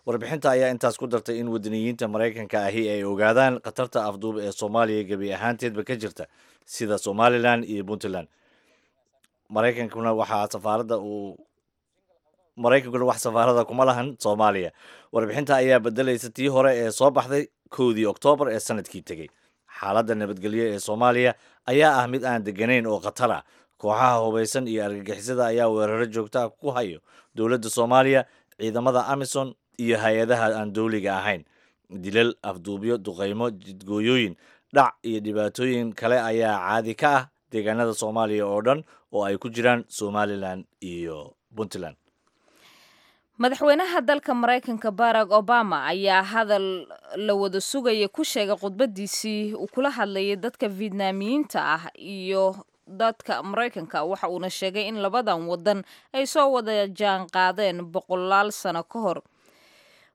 Warbixinta ayaa intaas ku dartay in wadaniyiinta Maraykanka ahi ay ogaadaan khatarta afduub ee Soomaaliya gebi ahaanteedba ka jirta, sida Somalilan iyo Puntland. Maraykankuna waxaa safaaradda uu Maraykankuna wax safaarada kuma lahan Soomaaliya. Warbixinta ayaa bedelaysa tii hore ee soo baxday kowdii Oktoobar ee sanadkii tegey. Xaaladda nabadgelyo ee Soomaaliya ayaa ah mid aan deganayn oo khatar ah. Kooxaha hubaysan iyo argagixisada ayaa weeraro joogta ah ku hayo dowladda Soomaaliya, ciidamada AMISOM iyo hay-adaha aan dowliga ahayn. Dilal, afduubyo, duqeymo, jidgooyooyin, dhac iyo dhibaatooyin kale ayaa caadi ka ah deegaanada Soomaaliya oo dhan oo ay ku jiraan Somalilan iyo Puntland. Madaxweynaha dalka Maraykanka Barack Obama ayaa hadal la wada sugaya ku sheegay khudbadiisii uu kula hadlayay dadka Vietnaamiyiinta ah iyo dadka Maraykanka, waxa uuna sheegay in labadan wadan ay soo wada jaan qaadeen boqolaal sano ka hor.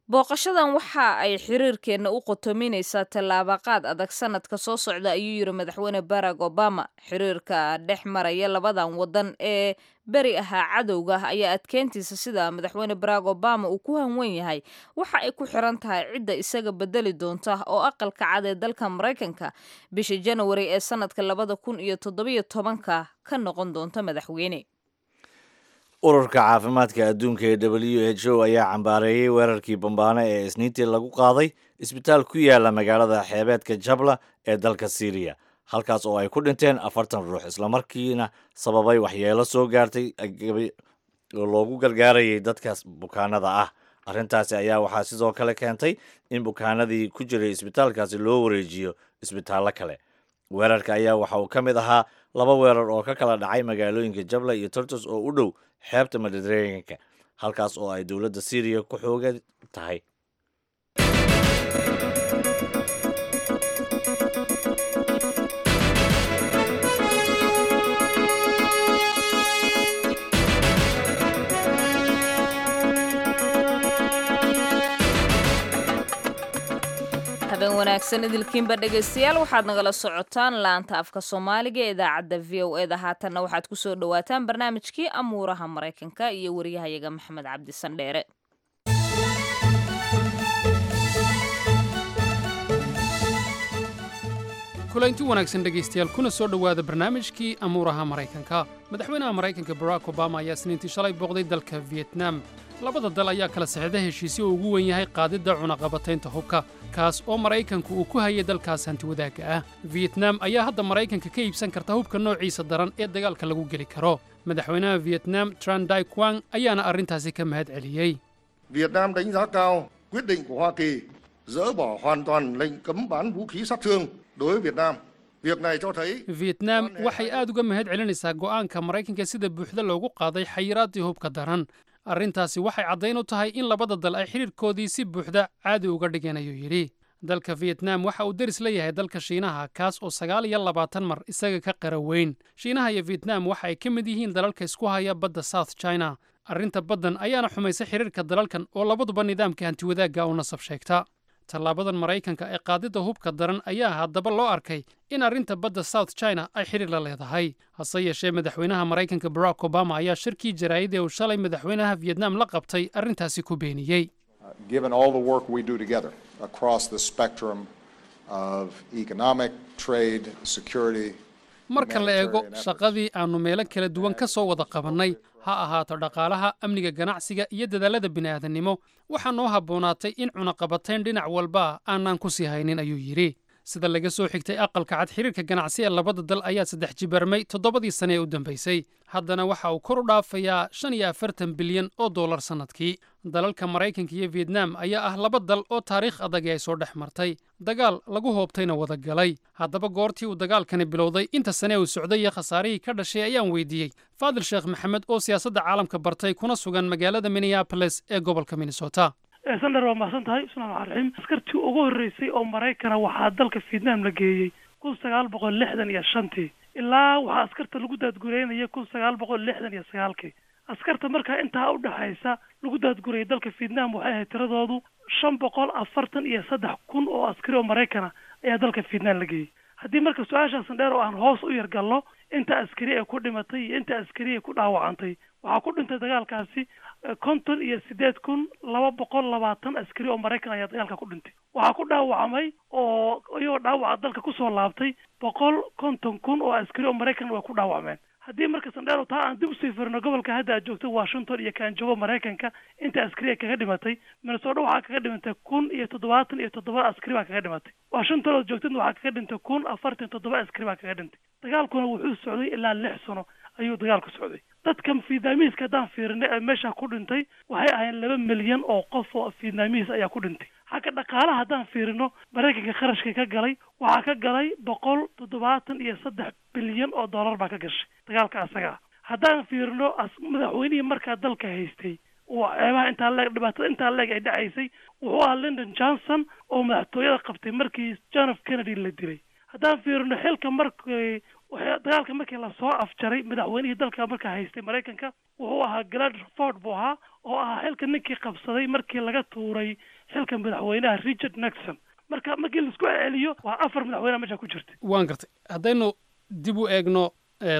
Booqashadan waxa ay xiriirkeenna u qotominaysaa tallaabaqaad adag sanadka soo socda, ayuu yiri madaxweyne Barack Obama. Xiriirka dhex maraya labadan wadan ee beri ahaa cadowga ayaa adkeyntiisa sida madaxweyne Barack Obama uu ku hanwen yahay waxa ay ku xiran tahay cidda isaga bedeli doonta oo aqalka cad ee dalka Maraykanka bisha January ee sanadka labada kun iyo toddobiyo tobanka ka noqon doonta madaxweyne. Ururka caafimaadka adduunka ee W H O ayaa cambaareeyey weerarkii bambaano ee Isniintii lagu qaaday isbitaal ku yaala magaalada xeebeedka Jabla ee dalka Siiriya, halkaas oo ay ku dhinteen afartan ruux, islamarkiina sababay waxyeelo soo gaartay oo loogu gargaarayay dadkaas bukaanada ah. Arrintaasi ayaa waxaa sidoo kale keentay in bukaanadii ku jiray isbitaalkaasi loo wareejiyo isbitaallo kale. Weerarka ayaa waxa uu ka mid ahaa laba weerar oo ka kala dhacay magaalooyinka Jabla iyo Tartus oo u dhow xeebta Mediterranean-ka, halkaas oo ay dowladda Siiriya ku xoogan tahay. Habeen wanaagsan idilkiinba dhegaystayaal, waxaad nagala socotaan laanta afka Soomaaliga ee idaacadda V O E da. Haatanna waxaad kusoo dhawaataan barnaamijkii amuuraha Maraykanka iyo wariyahayaga Maxamed Cabdi Sandheere. Kulanti wanaagsan dhegaystayaal, kuna soo dhowaada barnaamijkii amuuraha Maraykanka. Madaxweynaha Maraykanka Barack Obama ayaa Isniintii shalay booqday dalka Vietnam. Labada dal ayaa kala saxiixday heshiisyo uu ugu weyn yahay qaadidda cunaqabataynta hubka, kaas oo Maraykanku uu ku hayay dalkaas hantiwadaagga ah. Vietnam ayaa hadda Maraykanka ka iibsan karta hubka noociisa daran ee dagaalka lagu geli karo. Madaxweynaha Vietnam Tran Dai Quang ayaana arrintaasi ka mahad celiyey. Việt Nam đánh giá cao quyết định của Hoa Kỳ dỡ bỏ hoàn toàn lệnh cấm bán vũ khí sát thương đối với Việt Nam. Việc này cho thấy Vietnam waxay aad uga mahad celinaysaa go'aanka Maraykanka sida buuxda loogu qaaday xayiraaddii hubka daran. Arrintaasi waxay caddayn u tahay in labada dal ay xidhiirkoodii si buuxda caadi uga dhigeen, ayuu yidhi. Dalka Vietnam waxa uu deris la yahay dalka Shiinaha, kaas oo sagaal iyo labaatan mar isaga ka qara weyn. Shiinaha iyo Vietnam waxa ay ka mid yihiin dalalka isku haya badda South China. Arrinta baddan ayaana xumaysay xidhiirka dalalkan oo labaduba nidaamka hantiwadaagga u nasab sheegta. Tallaabadan Maraykanka ee qaadidda hubka daran ayaa haddaba loo arkay in arrinta badda South China ay xidhiir la leedahay. Hase yeeshee, madaxweynaha Maraykanka Barack Obama ayaa shirkii jaraa'id ee uu shalay madaxweynaha Vietnam la qabtay arrintaasi ku beeniyey. Given all the work we do together across the spectrum of economic, trade, security, marka la eego shaqadii aannu meelo kala duwan ka soo wada qabannay, ha ahaato dhaqaalaha, amniga, ganacsiga iyo dadaallada bini'aadannimo, waxaa noo habboonaatay in cunaqabatayn dhinac walba aanaan ku sii haynin, ayuu yidhi. Sida laga soo xigtay Aqalka Cad, xiriirka ganacsi ee labada dal ayaa saddex jibarmay toddobadii sane ee u dambaysay. Haddana waxa uu kor u dhaafayaa shan iyo afartan bilyan oo dollar sannadkii. Dalalka Maraykanka iyo Vietnam ayaa ah laba dal oo taariikh adag ay soo dhex martay, dagaal lagu hoobtayna wada galay. Haddaba goortii uu dagaalkani bilowday, inta sane uu socday iyo khasaarihii ka dhashay ayaan weydiiyey Faadil Sheekh Maxamed oo siyaasadda caalamka bartay kuna sugan magaalada Minneapolis ee gobolka Minnesota. Sandar, waa mahadsan tahay. Bismillahi raxmaan raxiim. Askartii ugu horreysay oo Maraykana waxaa dalka Vietnam la geeyey kun sagaal boqol lixdan iyo shantii, ilaa waxaa askarta lagu daadgureynayay kun sagaal boqol lixdan iyo sagaalkii. Askarta markaa intaa udhexaysa lagu daadgurayay dalka Vietnam waxay ahayd tiradoodu shan boqol afartan iyo saddex kun oo askari oo Maraykana ayaa dalka Vietnam la geeyey. Haddii marka su-aasha Sandheer oo aan hoos u yar galno, inta askari ee ku dhimatay iyo inta askari ee ku dhaawacantay, waxaa ku dhintay dagaalkaasi konton iyo sideed kun laba boqol labaatan askari oo Maraykan ayaa dagaalka ku dhintay. Waxaa ku dhaawacmay oo iyagoo dhaawaca dalka kusoo laabtay boqol konton kun oo askari oo Maraykan way ku dhaawacmeen. Haddii marka Sandheer taa aan dib usii firino, gobolka hadda aad joogto Washington iyo kaan joogo Maraykanka, inta askari ee kaga dhimatay, Minnesota waxaa kaga dhimatay kun iyo toddobaatan iyo toddoba askari baa kaga dhimatay. Washington ood joogtidna waxaa kaga dhintay kun afartan iyo toddoba askari baa kaga dhintay. Dagaalkuna wuxuu socday ilaa lix sano. ayuu dagaalku socday. Dadka Vietnamiiska haddaan fiirinay ee meesha ku dhintay waxay ahayn laba milyan oo qof oo Vietnamiis ayaa ku dhintay. Xagga dhaqaalaha haddaan fiirino, Maraykanka kharashka ka galay waxaa ka galay boqol toddobaatan iyo saddex bilyan oo dollar baa ka gashay dagaalka asaga ah. Haddaan fiirino madaxweynihii markaa dalka haystay oo ceebaha intaa leeg, dhibaatada intaa leeg ay dhacaysay, wuxuu ahaa Lyndon Johnson oo madaxtooyada qabtay markii John F Kennedy la dilay. Haddaan fiirino xilka markii dagaalka markii lasoo afjaray, madaxweynihii dalka markaa haystay Maraykanka wuxuu ahaa Gerald Ford buu ahaa, oo ahaa xilka ninkii qabsaday markii laga tuuray xilka madaxweynaha Richard Nixon. Marka markii laisku celiyo waa afar madaxweynaha meesha ku jirtay. Waan gartay. Haddaynu dib u eegno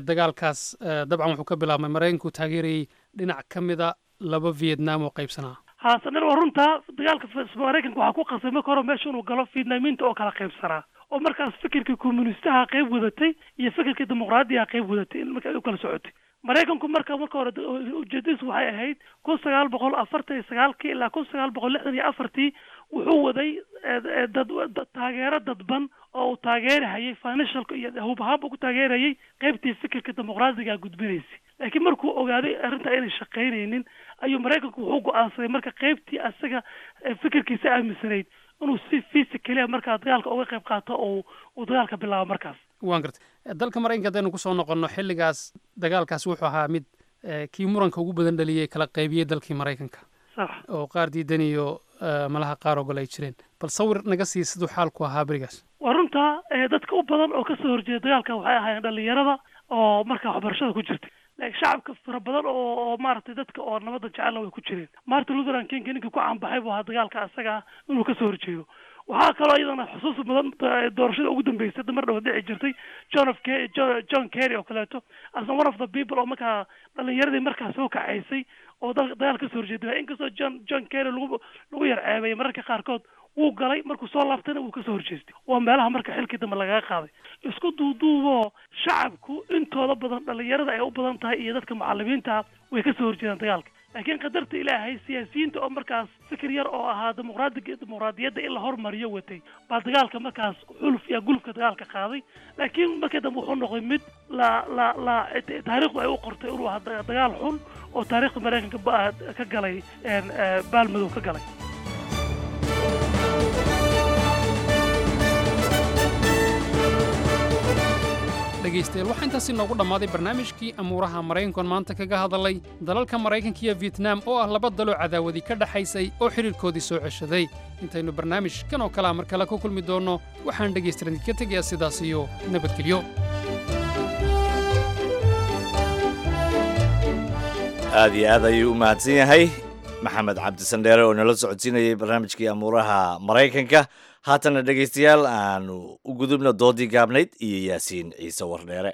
dagaalkaas, dabcan wuxuu ka bilaabmay Maraykanku taageerayey dhinac ka mida laba Vietnam oo qaybsanaa. Haasaner, waa runtaa. Dagaalka Maraykanka waxaa ku qasbay marka hore meesha inuu galo Vietnamiinta oo kala qaybsanaa, oo markaas fikirkii communistaha qayb wadatay iyo fikirkii dimuqraadiyaha qayb wadatay in marka ay u kala socotay. Maraykanku marka marka hore ujeedadiisu waxay ahayd kun sagaal boqol afartan iyo sagaalkii ilaa kun sagaal boqol lixdan iyo afartii wuxuu waday dad taageero dadban oo uu taageerahayay financialka iyo hub ahaan buu ku taageerayay qaybtii fikirka dimuqraadiga gudbinaysay. Laakiin markuu ogaaday arrinta inay shaqaynaynin ayuu Maraykanku wuxuu go'aansaday marka qaybtii asaga fikirkiisa aaminsanayd inuu si physically markaa dagaalka uga qayb qaato oo uu dagaalka bilaabo markaas. Waan gartay. Dalka Maraykanka haddaynu kusoo noqonno, xilligaas dagaalkaasi wuxuu ahaa mid kii muranka ugu badan dhaliyey, kala qaybiyey dalkii Maraykanka, sax, oo qaar diidan iyo malaha qaar ogol ay jireen. Bal sawir naga sii siduu xaalku ahaa berigaas. Waa runtaa. Dadka u badan oo kasoo horjeeda dagaalka waxay ahaayeen dhalinyarada oo markaa waxbarashada ku jirtay, laakiin shacabka fara badan oo oo maaragtay dadka oo nabadda jecelna way ku jireen. Martin Luther King ninkii ku caanbaxay buu ahaa dagaalka asaga ah inuu kasoo horjeedo. Waxaa kaloo iyadana xusuus mudan doorashada ugu dambeysay mar dhow dhici jirtay, John of John Kerry oo kaleeto, asna one of the people oo markaa dhalinyaradii markaa soo kacaysay oo dagaal kasoo horjeeday. Inkastoo John John Kerry lagu lagu yar ceebeeyay mararka qaarkood, wuu galay, markuu soo laabtayna wuu kasoo horjeestay. Waa meelaha marka xilkii dambe lagaga qaaday. Isku duuduuboo shacabku intooda badan, dhalinyarada ay u badan tahay iyo dadka macalimiinta, way kasoo horjeedaan dagaalka. Laakiin qadarta Ilaahay, siyaasiyiinta oo markaas fikir yar oo ahaa dimuqraadiga dimuqraadiyadda in la hormariyo watay baa dagaalka markaas xuluf iyo gulufka dagaalka qaaday. Laakiin markii dambe wuxuu noqday mid la la la taariikhdu ay u qortay inuu ahaa dagaal xun oo taariikhda Maraykanka ka galay baalmadow ka galay. Dhegaystayaal, waxaa intaasi noogu dhammaaday barnaamijkii amuuraha Maraykankoon maanta kaga hadalay dalalka Maraykanka iyo Vietnam oo ah laba daloo cadaawadii ka dhaxaysay oo xidhiirkoodii soo ceshaday. Intaynu barnaamij kan oo kalea mar kale ku kulmi doonno, waxaan dhegaystayaal idinka tegayaa sidaas iyo nabadgelyo. Aad iyo aad ayuu u mahadsan yahay Maxamed Cabdisandheere oo nala socodsiinayay barnaamijkii amuuraha Maraykanka. Haatana dhegaystayaal, aanu u gudubna doodii gaabnayd iyo Yaasiin Ciise Wardheere.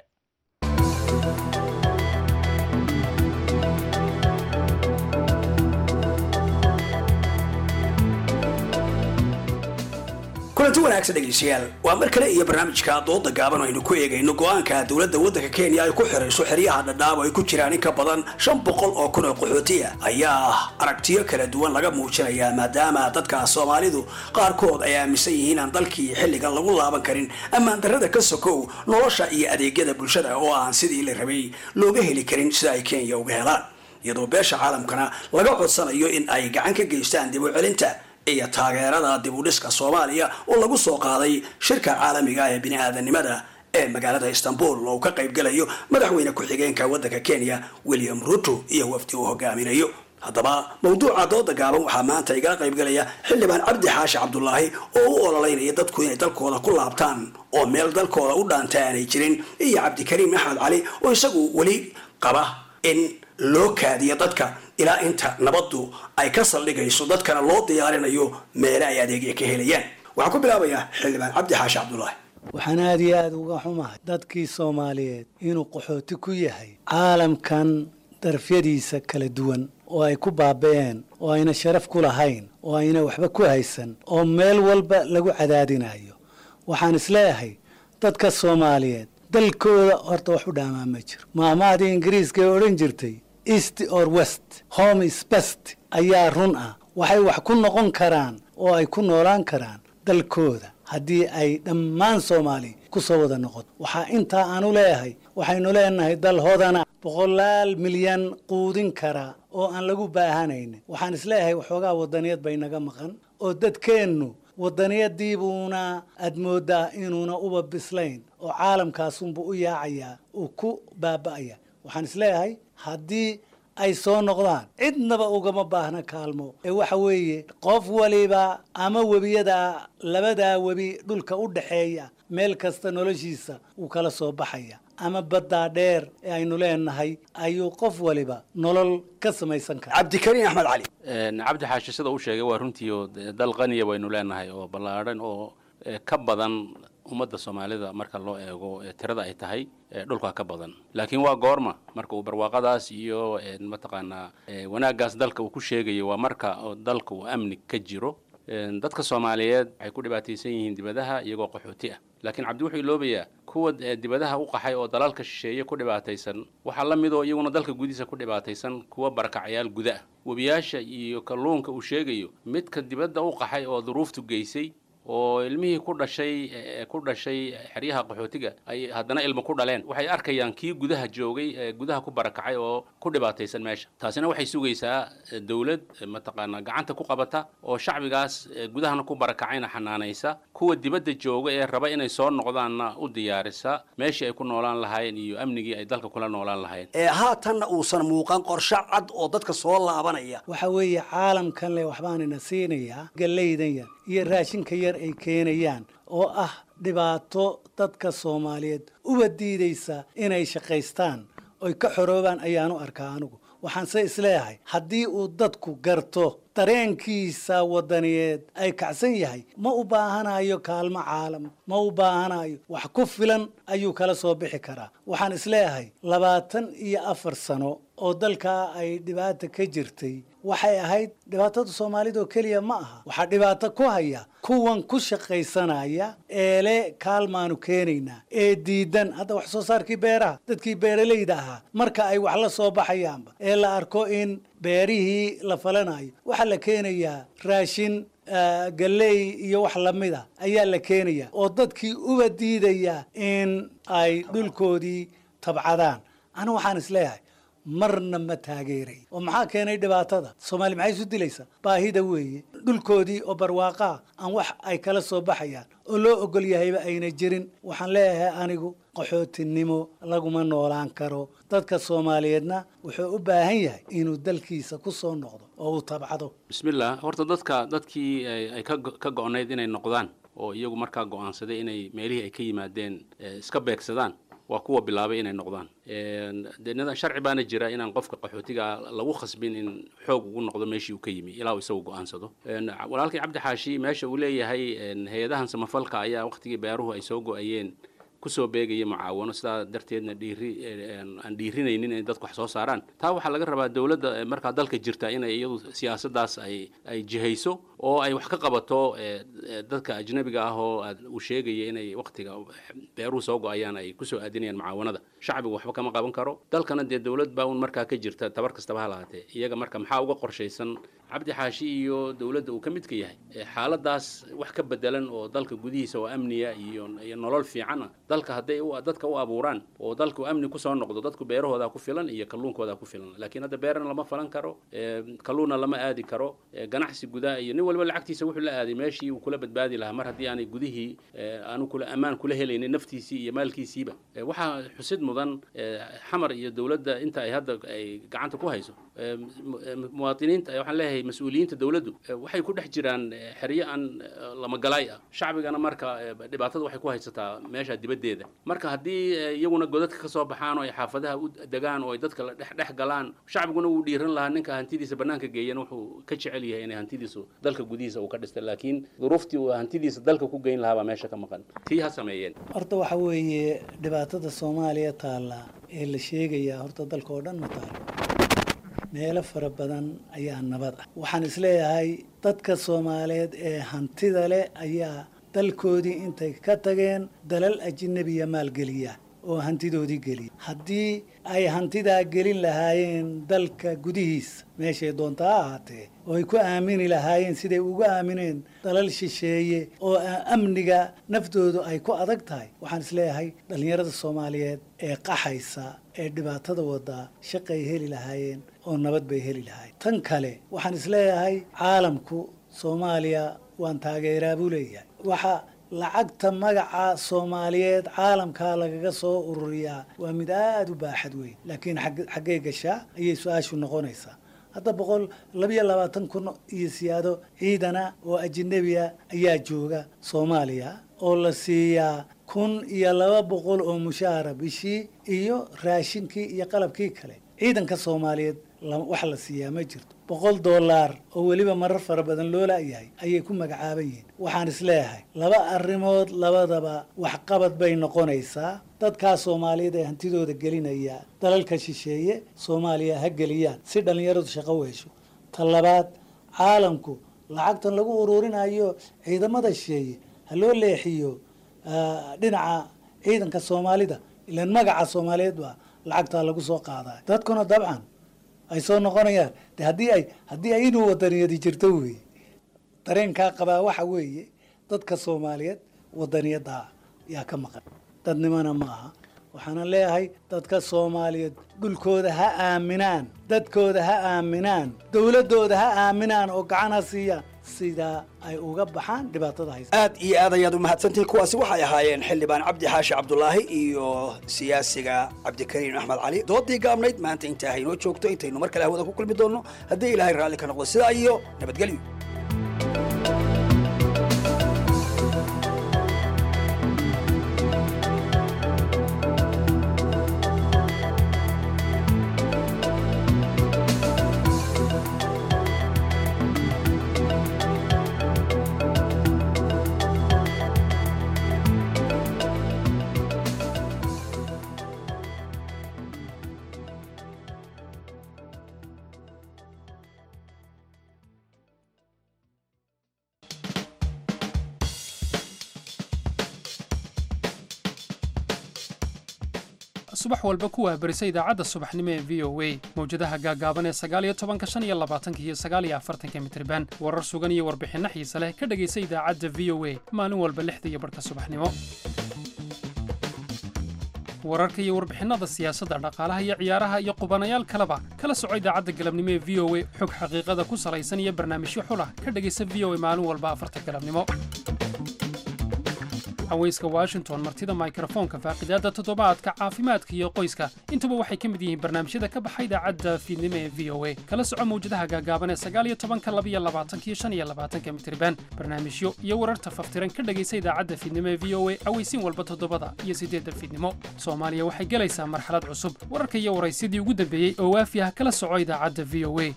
Kulanti wanaagsan dhegaystayaal, waa mar kale iyo barnaamijka dooda gaaban oo aynu ku eegayno go'aanka dowladda waddanka Kenya ay ku xirayso xeryaha Dhadhaab oo ay ku jiraan in ka badan shan boqol oo kun oo qaxootiya ayaa aragtiyo kala duwan laga muujinayaa, maadaama dadka Soomaalidu qaarkood ay aaminsan yihiin aan dalkii xilligan lagu laaban karin, ammaan darrada ka sokow nolosha iyo adeegyada bulshada oo aan sidii la rabay looga heli karin sida ay Kenya uga helaan, iyadoo beesha caalamkana laga codsanayo in ay gacan ka geystaan dib u celinta iyo taageerada dib u dhiska Soomaaliya oo lagu soo qaaday shirka caalamiga ee bini-aadanimada ee magaalada Istanbul oo ka qaybgalayo madaxweyne ku-xigeenka waddanka Kenya William Ruto iyo wafdi uu hogaaminayo. Haddaba mawduuca dooda gaaban waxaa maanta igala qaybgalaya xildhibaan Cabdi Xaashi Cabdulaahi oo u ololeynaya dadku inay dalkooda ku laabtaan oo meel dalkooda u dhaanta aanay jirin, iyo Cabdikariim Axmed Cali oo isagu weli qaba in loo kaadiyo dadka ilaa inta nabaddu ay ka saldhigayso, dadkana loo diyaarinayo meele ay adeegya ka helayaan. Waxaan ku bilaabayaa xildhibaan Cabdi Xaashi Cabdulaahi. Waxaan aada iyo aada uga xumahay dadkii Soomaaliyeed inuu qaxooti ku yahay caalamkan darafyadiisa kala duwan oo ay ku baaba'een oo ayna sharaf ku lahayn oo ayna waxba ku haysan oo meel walba lagu cadaadinayo. Waxaan isleeyahay dadka Soomaaliyeed dalkooda horta wax u dhaamaa ma jiro. Maahmaadii Ingiriiska ee odhan jirtay "East or west, home is best" ayaa run ah. Waxay wax ku noqon karaan oo ay ku noolaan karaan dalkooda haddii ay dhammaan Soomaali ku soo wada noqoto. Waxaa intaa aanu leeyahay, waxaynu leenahay dal hodana, boqolaal milyan quudin kara oo aan lagu baahanaynin. Waxaan isleeyahay waxoogaa wadaniyad bay naga maqan, oo dadkeennu wadaniyadiibuuna aad moodaa inuuna uba bislayn, oo caalamkaasunbu u yaacayaa, uu ku baaba'aya. Waxaan isleeyahay haddii ay soo noqdaan cidnaba ugama baahna kaalmo, ee waxa weeye qof waliba ama webiyada labadaa webi dhulka u dhaxeeya meel kasta noloshiisa wuu kala soo baxaya, ama baddaa dheer ee aynu leenahay ayuu qof waliba nolol ka samaysan kara. Cabdikariin Axmed Cali. Cabdi Xaashi sida uu sheegay waa runtii, oo dal qaniya waynu leenahay oo ballaadhan oo ka badan ummadda Soomaalida marka loo eego tirada ay tahay, dhulka ka badan. Laakiin waa goorma marka uu barwaaqadaas iyo mataqaanaa wanaaggaas dalka uu ku sheegayo? Waa marka dalka uu amni ka jiro. Dadka Soomaaliyeed waxay ku dhibaataysan yihiin dibadaha iyagoo qaxooti ah, laakiin Cabdi wuxuu iloobayaa kuwa dibadaha u qaxay oo dalalka shisheeye ku dhibaataysan. Waxaa la mid oo iyaguna dalka gudihiisa ku dhibaataysan kuwa barakacayaal guda ah. Webiyaasha iyo kalluunka uu sheegayo, midka dibadda u qaxay oo duruuftu geysay oo ilmihii ku dhashay ku dhashay xeryaha qaxootiga ay haddana ilmo ku dhaleen, waxay arkayaan kii gudaha joogay ee gudaha ku barakacay oo ku dhibaataysan meesha. Taasina waxay sugaysaa dowlad mataqaanaa gacanta ku qabata oo shacbigaas gudahana ku barakacayna xanaanaysa, kuwa dibadda jooga ee raba inay soo noqdaanna u diyaarisa meeshii ay ku noolaan lahaayeen iyo amnigii ay dalka kula noolaan lahaayeen. Ee haatanna uusan muuqan qorshe cad oo dadka soo laabanaya. Waxa weeye caalamkan le waxbaanina siinayaa, gallaydan yar iyo raashinka yar ay keenayaan oo ah dhibaato dadka Soomaaliyeed uba diidaysa inay shaqaystaan oy ka xoroobaan ayaanu arkaa anigu. Waxaan se isleeyahay haddii uu dadku garto dareenkiisa wadaniyeed ay kacsan yahay, ma u baahanayo kaalmo caalam, ma u baahanayo, wax ku filan ayuu kala soo bixi karaa. Waxaan isleeyahay labaatan iyo afar sano oo dalkaa ay dhibaata ka jirtay, waxay ahayd dhibaatada Soomaalida oo keliya ma aha. Waxaa dhibaato ku haya kuwan ku shaqaysanaya eele kaalmaanu keenaynaa ee diidan hadda wax soo saarkii beeraha. Dadkii beeralayda ahaa marka ay wax la soo baxayaanba ee la arko in beerihii la falanayo, waxaa la keenayaa raashin, galley iyo wax lamida ayaa la keenaya, oo dadkii uba diidaya in ay dhulkoodii tabcadaan. Anigu waxaan isleeyahay marna ma taageeray. Oo maxaa keenay dhibaatada? Soomaali maxay isu dilaysaa? Baahida weeye. Dhulkoodii oo barwaaqaa aan wax ay kala soo baxayaan oo loo ogol yahayba ayna jirin. Waxaan leeyahay anigu qaxootinimo laguma noolaan karo. Dadka Soomaaliyeedna wuxuu u baahan yahay inuu dalkiisa ku soo noqdo oo uu tabcado. Bismillah. Horta dadka dadkii ay ka ka go'nayd inay noqdaan oo iyagu markaa go'aansaday inay meelihii ay ka yimaadeen iska beegsadaan waa kuwa bilaabay inay noqdaan. Dee nidaam sharci baana jira inaan qofka qaxootiga lagu khasbin in xoog ugu noqdo meeshii uu ka yimi ilaa uu isagu go'aansado. Walaalkii Cabdi Xaashi meesha uu leeyahay hay-adahan samafalka ayaa waqtigii beeruhu ay soo go'ayeen kusoo beegaya mucaawano, sidaa darteedna dhiiri aan dhiirinaynin inay dadku wax soo saaraan, taa waxaa laga rabaa dowladda markaa dalka jirta inay iyadu siyaasaddaas ay ay jihayso oo ay wax ka qabato dadka ajnabiga ah oo uu sheegaya inay waqtiga beeruhu soo go'ayaan ay kusoo aadinayaan mucaawanada. Shacbigu waxba kama qaban karo, dalkana dee dowlad baa un markaa ka jirta, tabar kastaba ha lahaatee. Iyaga marka maxaa uga qorshaysan Cabdi Xaashi iyo dowladda uu ka midka yahay xaaladaas wax ka bedelan oo dalka gudihiisa oo amniya iyo iyo nolol fiicana dalka hadday dadka u abuuraan oo dalku amni kusoo noqdo, dadku beerahoodaa ku filan iyo kalluunkoodaa ku filan. Laakiin hadda beerana lama falan karo, kalluunna lama aadi karo, ganacsi gudaha iyo nin walba lacagtiisa wuxuu la aaday meeshii uu kula badbaadi lahaa mar haddii aanay gudihii aanu kula ammaan kula helaynin naftiisii iyo maalkiisiiba. Waxaa xusid mudan Xamar iyo dowladda inta ay hadda ay gacanta ku hayso muwaadiniinta, waxaan leeyahay mas-uuliyiinta dowladdu waxay ku dhex jiraan xeryo aan lamagalaay ah. Shacbigana marka dhibaatada waxay ku haysataa meesha dibaddeeda. Marka haddii iyaguna godadka ka soo baxaan oo ay xaafadaha u degaan oo ay dadka la dhex dhex galaan, shacbiguna wuu dhiiran lahaa. Ninka hantidiisa bannaanka geeyana wuxuu ka jecel yahay inay hantidiisu dalka gudihiisa uu ka dhistay, laakiin duruuftii uu hantidiisa dalka ku geyn lahaa baa meesha ka maqan. Tii ha sameeyeen. Horta waxa weeye dhibaatada Soomaaliya taalla ee la sheegayaa horta dalka oo dhan ma taalo, meelo fara badan ayaa nabad ah. Waxaan isleeyahay dadka Soomaaliyeed ee hantida leh ayaa dalkoodii intay ka tageen dalal ajnabiya maalgeliya. oo hantidoodii geliyay. Haddii ay hantidaa gelin lahaayeen dalka gudihiisa, meeshay doonta ha ahaatee, oo ay ku aamini lahaayeen siday ugu aamineen dalal shisheeye oo amniga naftoodu ay ku adag tahay, waxaan isleeyahay dhallinyarada Soomaaliyeed ee qaxaysa ee dhibaatada wadaa shaqay heli lahaayeen oo nabad bay heli lahaayeen. Tan kale, waxaan isleeyahay caalamku Soomaaliya waan taageeraa buu leeyahay. Waxa lacagta magaca Soomaaliyeed caalamkaa lagaga soo ururiyaa waa mid aada u baaxad weyn, laakiin xaggay gashaa ayay su-aashu noqonaysaa. Hadda boqol labiyo labaatan kun iyo siyaado ciidana oo ajnabiya ayaa jooga Soomaaliya oo la siiyaa kun iyo laba boqol oo mushaara bishii iyo raashinkii iyo qalabkii kale. Ciidanka Soomaaliyeed wax la siiyaa ma jirto. Boqol dollar oo weliba marar fara badan loo la'yahay ayay ku magacaaban yihiin. Waxaan isleeyahay laba arrimood labadaba waxqabad bay noqonaysaa. Dadkaa Soomaaliyeed ee hantidooda gelinaya dalalka shisheeye Soomaaliya ha geliyaan si dhallinyaradu shaqo u hesho. Ta labaad, caalamku lacagtan lagu ururinayo ciidamada shisheeye ha loo leexiyo dhinaca ciidanka Soomaalida, ilaan magaca Soomaaliyeed baa lacagtaa lagu soo qaadaa. Dadkuna dabcan ay soo noqonayaan de haddii ay haddii ay inuu wadaniyadi jirto weeye. Dareenkaa qabaa waxa weeye dadka Soomaaliyeed wadaniyadda yaa ka maqan, dadnimana ma aha. Waxaana leeyahay dadka Soomaaliyeed dhulkooda ha aaminaan, dadkooda ha aaminaan, dowladdooda ha aaminaan oo gacan ha siiyaan sidaa ay uga baxaan dhibaatada haysa. Aad iyo aad ayaad u mahadsantihiin. Kuwaasi waxay ahaayeen xildhibaan Cabdi Xaashi Cabdulaahi iyo siyaasiga Cabdikariim Axmed Cali. Doodii gaabnayd maanta intaa haynoo joogto, intaynu mar kale hawada ku kulmi doonno haddii Ilaahay raalli ka noqdo, sidaa iyo nabadgelyo. Subax walba ku waabarisa idaacadda subaxnimo ee V O A, mawjadaha gaagaaban ee sagaal iyo tobanka, shan iyo labaatanka iyo sagaal iyo afartanka mitriban. Warar sugan iyo warbixinno xiise leh ka dhegaysa idaacadda V O A maalin walba lixda iyo barhka subaxnimo. Wararka iyo warbixinnada siyaasadda, dhaqaalaha iyo ciyaaraha iyo qubanayaal kaleba kala soco idaacadda galabnimo ee V O A. Xog xaqiiqada ku salaysan iyo barnaamijyo xulah ka dhegaysa V O A maalin walba afarta galabnimo. Haweyska Washington, martida mikrofoonka, faaqidaadda toddobaadka, caafimaadka iyo qoyska, intuba waxay ka mid yihiin barnaamijyada ka baxa idaacadda fiidnimo ee V O A. Kala soco mawjadaha gaagaaban ee sagaal iyo tobanka, laba iyo labaatanka iyo shan iyo labaatanka mitriban. Barnaamijyo iyo wararta faftiran ka dhegaysa idaacadda fiidnimo ee V O A aweysiin walba toddobada iyo siddeedda fiidnimo. Soomaaliya waxay gelaysaa marxalad cusub. Wararka iyo waraysyadii ugu dambeeyey oo waafi ah kala soco idaacadda V O A.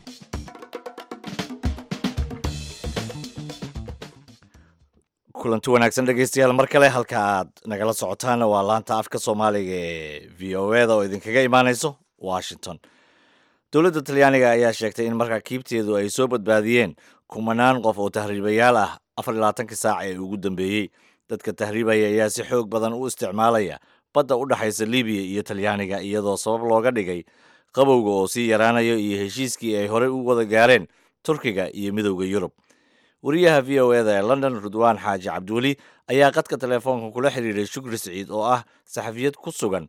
Kulanti wanaagsan dhegeystayaal mar kale. Halka aad nagala socotaana waa laanta afka Soomaaliga ee V O E da oo idinkaga imaaneyso Washington. Dowladda Talyaaniga ayaa sheegtay in maraakiibteedu ay soo badbaadiyeen kumanaan qof oo tahriibayaal ah afar iyo labaatankii saac ee ugu dambeeyey. Dadka tahriibaya ayaa si xoog badan u isticmaalaya badda u dhexaysa Libiya iyo Talyaaniga, iyadoo sabab looga dhigay qabowga oo sii yaraanayo iyo heshiiskii ay horey u wada gaareen Turkiga iyo Midowda Yurub. Wariyaha V O E da ee London, Rudwaan Xaaji Cabdiweli, ayaa qadka telefoonka kula xiriiray Shukri Siciid oo ah saxafiyad ku sugan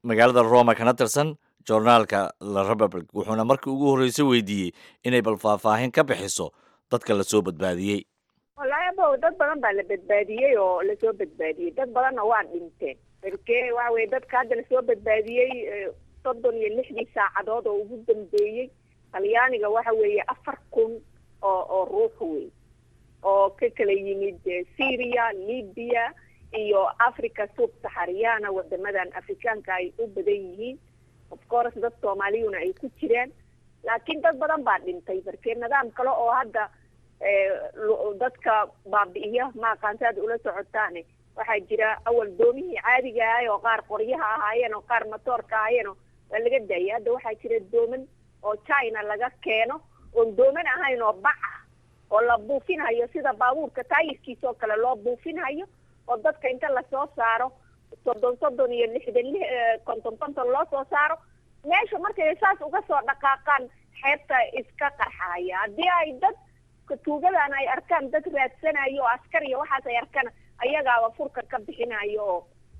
magaalada Roma kana tirsan joornaalka La Republic, wuxuuna markii ugu horreysay weydiiyey inay bal faahfaahin ka bixiso dadka lasoo badbaadiyey. Wallaahi abow, dad badan baa la badbaadiyey oo lasoo badbaadiyey, dad badanna waa dhinteen. Marke waxa weye dadka hadda lasoo badbaadiyey soddon iyo lixdii saacadood oo ugu dambeeyey Talyaaniga waxa weeye afar kun oo oo ruux wey oo ka kala yimid Syria, Libya iyo Africa sub saxariyana, wadamadan Afrikaanka ay u badan yihiin. Of course dad Soomaaliyuna ay ku jiraan, laakiin dad badan baa dhintay. Markee nidaam kale oo hadda dadka baabi'iya ma aqaanta aad ula socotaane, waxaa jira awal doomihii caadiga ahay oo qaar qoryaha ahaayeen oo qaar matoorka ahaayeen oo waa laga daayay. Hadda waxaa jira dooman oo China laga keeno oon dooman ahayn oo bac ah oo la buufinhayo sida baabuurka taayirkiisa oo kale loo buufinhayo, oo dadka inta lasoo saaro soddon soddon iyo lixdan li konton konton loo soo saaro. Meesha markay saas uga soo dhaqaaqaan xeebta iska qarxaya. Haddii ay dad tuugadan ay arkaan dad raadsanayo oo askar iyo waxaas ay arkaan, ayagaaba furka ka bixinayo oo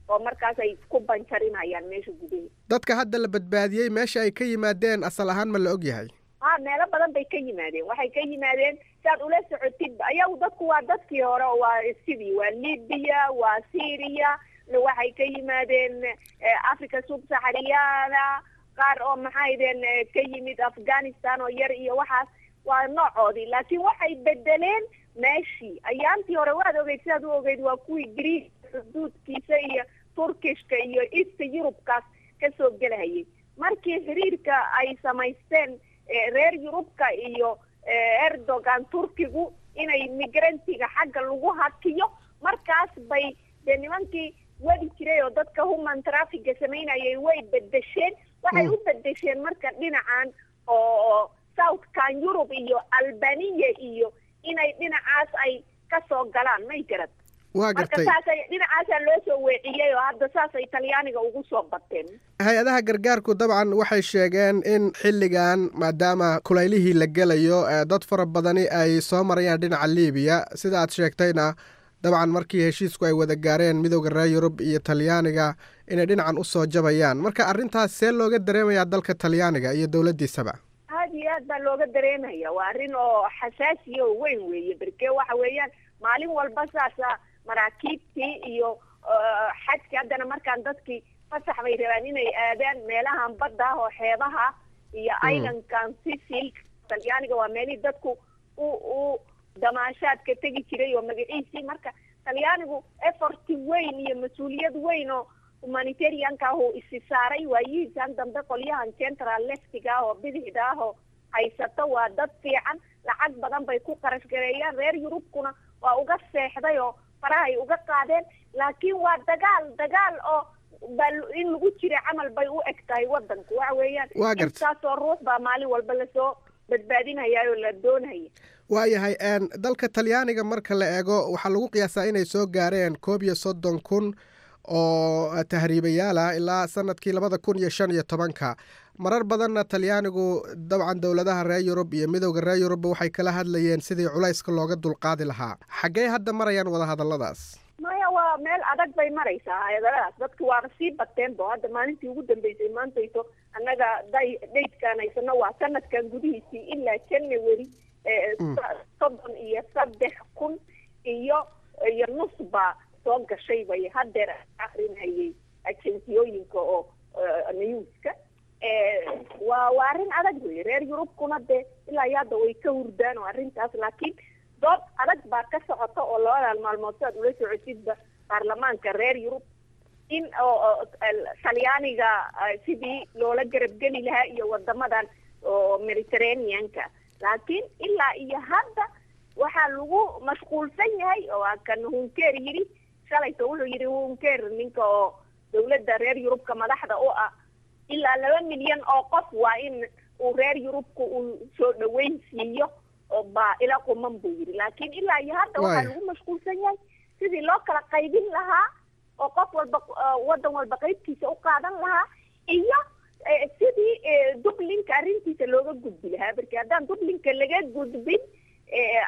oo markaas ay ku banjarinayaan meesha gudaheeda. Dadka hadda la badbaadiyey meesha ay ka yimaadeen asal ahaan ma la og yahay? Ha, meelo badan bay ka yimaadeen. Waxay ka yimaadeen, saad ula socotid, ayagu dadku waa dadkii hore oo waa sidii waa Libya, waa Syria, waxay ka yimaadeen Africa Subsahariyana, qaar oo maxaydeen ka yimid Afghanistan oo yar iyo waxaas, waa noocoodii. Laakiin waxay bedeleen meeshii ayaantii hore. Waad ogeyd, sidaad u ogeyd, waa kuwii Greek xuduudkiisa iyo Turkishka iyo East Eurubkaas kasoo gelahayay. Markii xiriirka ay samaysteen reer Yurubka iyo Erdogan Turkigu inay migrantiga xagga lagu hakiyo, markaas bay dee nimankii wadi jiray oo dadka human trafficga samaynayay way bedesheen. Waxay u bedesheen marka dhinacan oo Southkan Europe iyo Albania iyo inay dhinacaas ay kasoo galaan, may garad? Waa marka gartay. Saasay dhinacaasaa loo soo weeciyey oo hadda saasay Talyaaniga ugu soo bateen. Hay-adaha gargaarku dabcan waxay sheegeen in xilligan, maadaama kulaylihii la gelayo, dad fara badani ay soo marayaan dhinaca Libiya, sida aad sheegtayna dabcan markii heshiisku ay wada gaareen Midowda reer Yurub iyo Talyaaniga inay dhinacan usoo jabayaan. Marka arrintaas see looga dareemayaa dalka Talyaaniga iyo dowladdiisaba? Aad iyo aad baa looga dareemaya. Waa arrin oo xasaasiya oo weyn weeye, berke waxa weeyaan maalin walba saasa maraakiibtii iyo xadkii. Haddana markaan dadkii fasax bay rabaan inay aadaan meelahan badda ah oo xeebaha iyo islandkan Sicil. Talyaaniga waa meelihii dadku u u damaashaadka tegi jiray oo magaciisii. Marka Talyaanigu effort weyn iyo mas-uuliyad weyn oo humanitarianka ah uu isi saaray waayihiisan dambe. Qolyahan central leftiga ah oo bidixda ah oo haysato waa dad fiican, lacag badan bay ku qarash gareeyaan. Reer Yurubkuna waa uga seexday oo farahay uga qaadeen, laakiin waa dagaal dagaal oo ba in lagu jira camal bay u eg tahay wadanku. Waxa weeyaan Waa gartay. intaasoo ruux baa maalin walba lasoo badbaadinaya oo la doonaya. Waayahay, dalka Talyaaniga marka la eego waxaa lagu qiyaasaa inay soo gaareen koob iyo soddon kun oo tahriibayaal ah ilaa sanadkii labada kun iyo shan iyo tobanka. Marar badanna Talyaanigu dabcan dowladaha reer Yurub iyo Midowda reer Yurubba waxay kala hadlayeen sidii culayska looga dulqaadi lahaa. Xaggee hadda marayaan wadahadalladaas? Maya, waa meel adag bay maraysaa hayadaladaas. Dadki waaba sii bateen bo. Hadda maalintii ugu dambeysay maantayto annaga day daydkaan haysano waa sanadkan gudihiisii ilaa January soddon iyo saddex kun iyo iyo nus baa soo gashay bay haddeer akrinayay agenciyooyinka oo newska. Waa waa arrin adag wey. Reer Yurubkuna dee ilaa iyo hadda way ka hurdaan oo arrintaas, laakiin dood adag baa ka socota oo labadan maalmood si aad ula socotidba baarlamaanka reer Yurub in oo Talyaaniga sidii loola garabgeli lahaa iyo wadamadan oo Mediterraneanka. Laakiin ilaa iyo hadda waxaa lagu mashquulsan yahay oo kan Hunker yidhi shalayto. Wuxuu yidhi Hunker, ninka oo dowladda reer Yurubka madaxda u ah, ilaa laba milyan oo qof waa in uu reer Yurubka uu soo dhaweyn siiyo oo baa ila quman buu yidhi. Laakiin ilaa iyo hadda waxaa lagu mashquulsan yahay sidii loo kala qaybin lahaa oo qof walba waddan walba qaybtiisa u qaadan lahaa iyo sidii Dublinka arrintiisa looga gudbi lahaa. Marki haddaan Dublinka laga gudbin,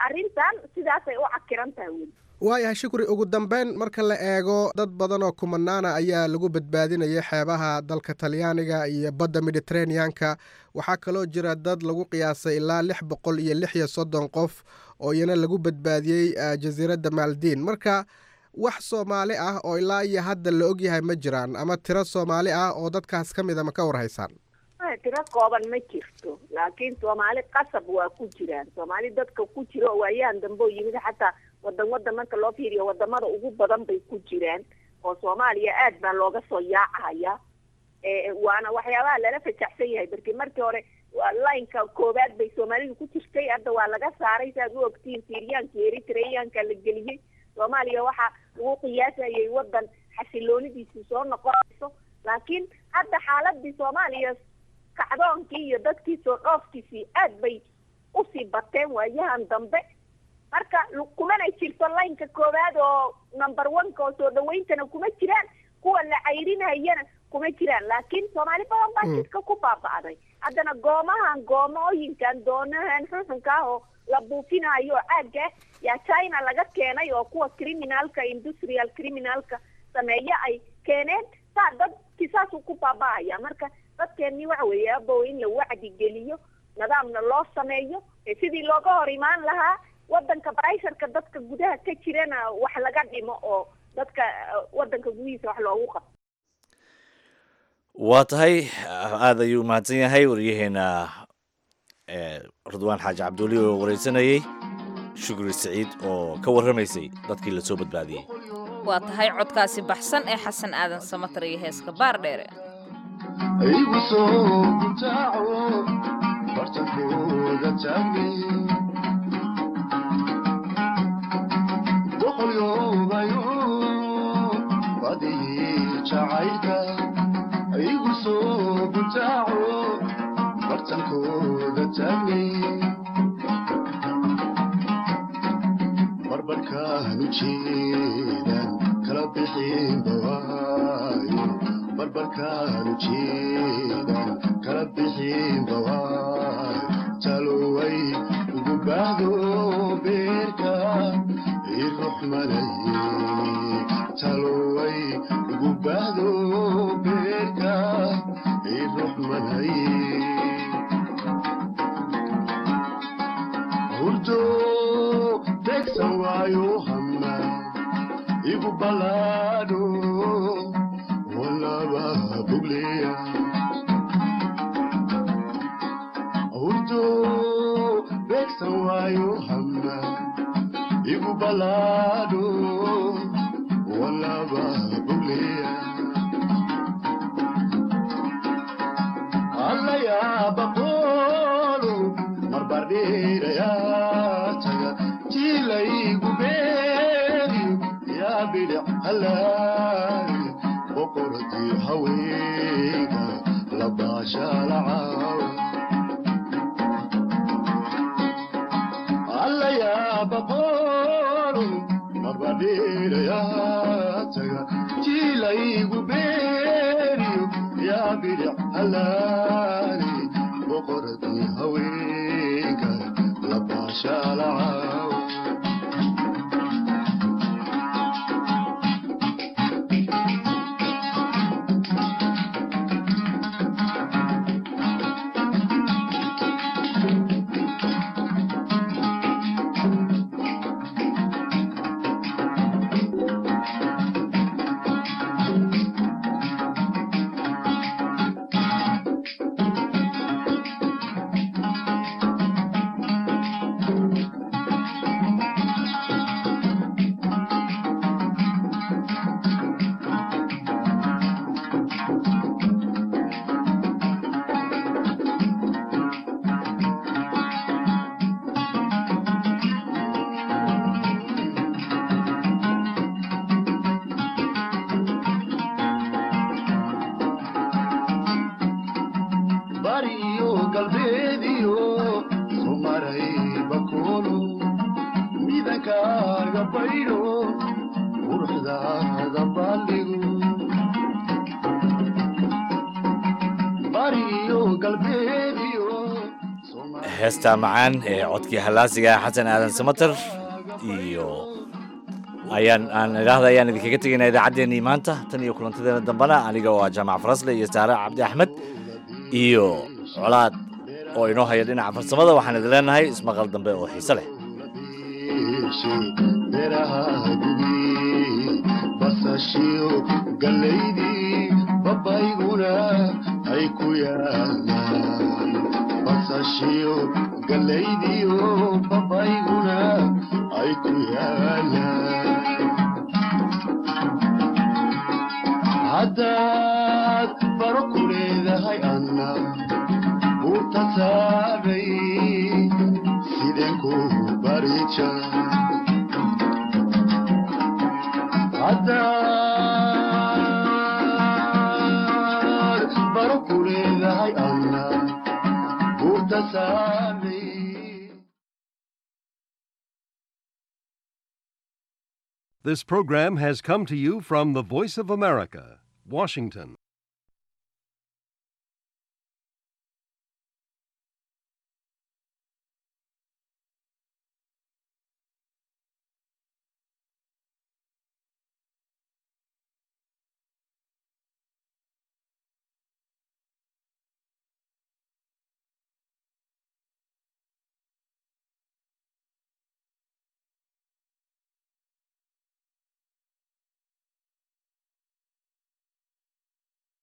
arrintan sidaasay u cakiran tahay weli. Waayahay Shukri, ugu dambeyn marka la eego dad badan oo kumanaana ayaa lagu badbaadinayay xeebaha dalka Talyaaniga iyo badda Mediterraneanka. Waxaa kaloo jira dad lagu qiyaasay ilaa lix boqol iyo lix iyo soddon qof oo iyana lagu badbaadiyey jasiiradda Maldiin. Marka wax Soomaali ah oo ilaa iyo hadda la ogyahay ma jiraan, ama tiro Soomaali ah oo dadkaas ka mida ma ka warhaysaan? Tiro kooban ma jirto, laakiin Soomaali qasab waa ku jiraan. Soomaali dadka ku jira oo waayahan dambe oo yimid, xataa wadan wadan marka loo fiiriyo wadamada ugu badan bay ku jiraan oo Soomaaliya aad baa looga soo yaacaya. Waana waxyaabaha lala fajaxsan yahay, markii markii hore lineka koowaad bay Soomaalidu ku jirtay, hadda waa laga saaray. Saaad u ogtiin, Syriyaanka iyo Eritreyaanka la geliyey. Soomaaliya waxaa lagu qiyaasayay wadan xasiloonidiisu soo noqonayso, laakiin hadda xaaladii Soomaaliya, kacdoonkii iyo dadkii soo dhoofkiisii aad bay usii bateen waayahan dambe. Marka kumana jirto lineka koowaad oo number one-ka oo soo dhawayntana kuma jiraan. Kuwa la cayrinayana kuma jiraan, laakiin Soomaali badan baa jidka ku baaba'day. Haddana goomahan, goomooyinkan, doonahan xunxunka ah oo la buufinayo caagga yaa China laga keenay, oo kuwa criminalka, industrial criminalka sameeya ay keeneen. Saa dadkii saasuu ku baaba'aya. Marka dadkeenni waxa weeye, abow, in la wacdi geliyo, nidaamna loo sameeyo sidii looga hor imaan lahaa wadanka pressureka dadka gudaha ka jirana wax laga dhimo, oo dadka wadanka gudihiisa wax loogu qabto. Waa tahay, aada ayuu umahadsan yahay wariyaheena Ridwaan Xaaji Cabduuli oo wareysanayey Shukri Saciid oo ka warramaysay dadkii lasoo badbaadiyey. Waa tahay, codkaasi baxsan ee Xasan Aadan Samatar iyo heeska Baar Dheere. Igu soo gutaaco bartankooda taagni boqolyoobayo badii jacaylka, igu soo gutaaco bartankooda taagni, barbarkaanu jeedan kala bixin bawaayo, barbarkaanu jeedan kala bixin bawaayo, taloway ugu baahdo beerka iruxmanaye, taloway ugu baahdo beerka iruxmanaye, hurdo tegsan waayo hama igu balaadho walaba bugleya, hurdo begsan waayo hama igu balaadho walaba bugleya, allayaaba qoolo marbardheerayaa taga jilaygu beeriyo yaa bidhic halaay boqoradii haweenka labaashalacaw, allayaaba qoolo marbardheerayaa taga jilaygu beeriyo yaa bidhic halaali boqoradii haweenka labaashalacaw. Bariyo galbeediyo somaray bakoolo midankaaga baydho quruxdaada baaldhigo, bariyo galbeediyo. Heesta macaan ee codkii hallaasiga Xasan Aadan Samater iyo ayaan aan idhaahda ayaan idinkaga tegaynaa idaacaddeenii maanta. Tan iyo kulantadeena dambena, aniga oo ah Jaamac Farasle iyo Saare Cabdi Axmed iyo Colaad oo inoo haya dhinaca farsamada, waxaan idin leenahay ismaqal dambe oo xiise leh. Beeraha gubi basashiyo gallaydii babayguna ay ku yaalaan, basashiyo gallaydiyo babayguna ay ku yaalaan, haddaad baro ku leedahay anna buurta saaray sideen ku barija, haddaad baro ku leedahay anna buurta saaray. This program has come to you from the Voice of America, Washington.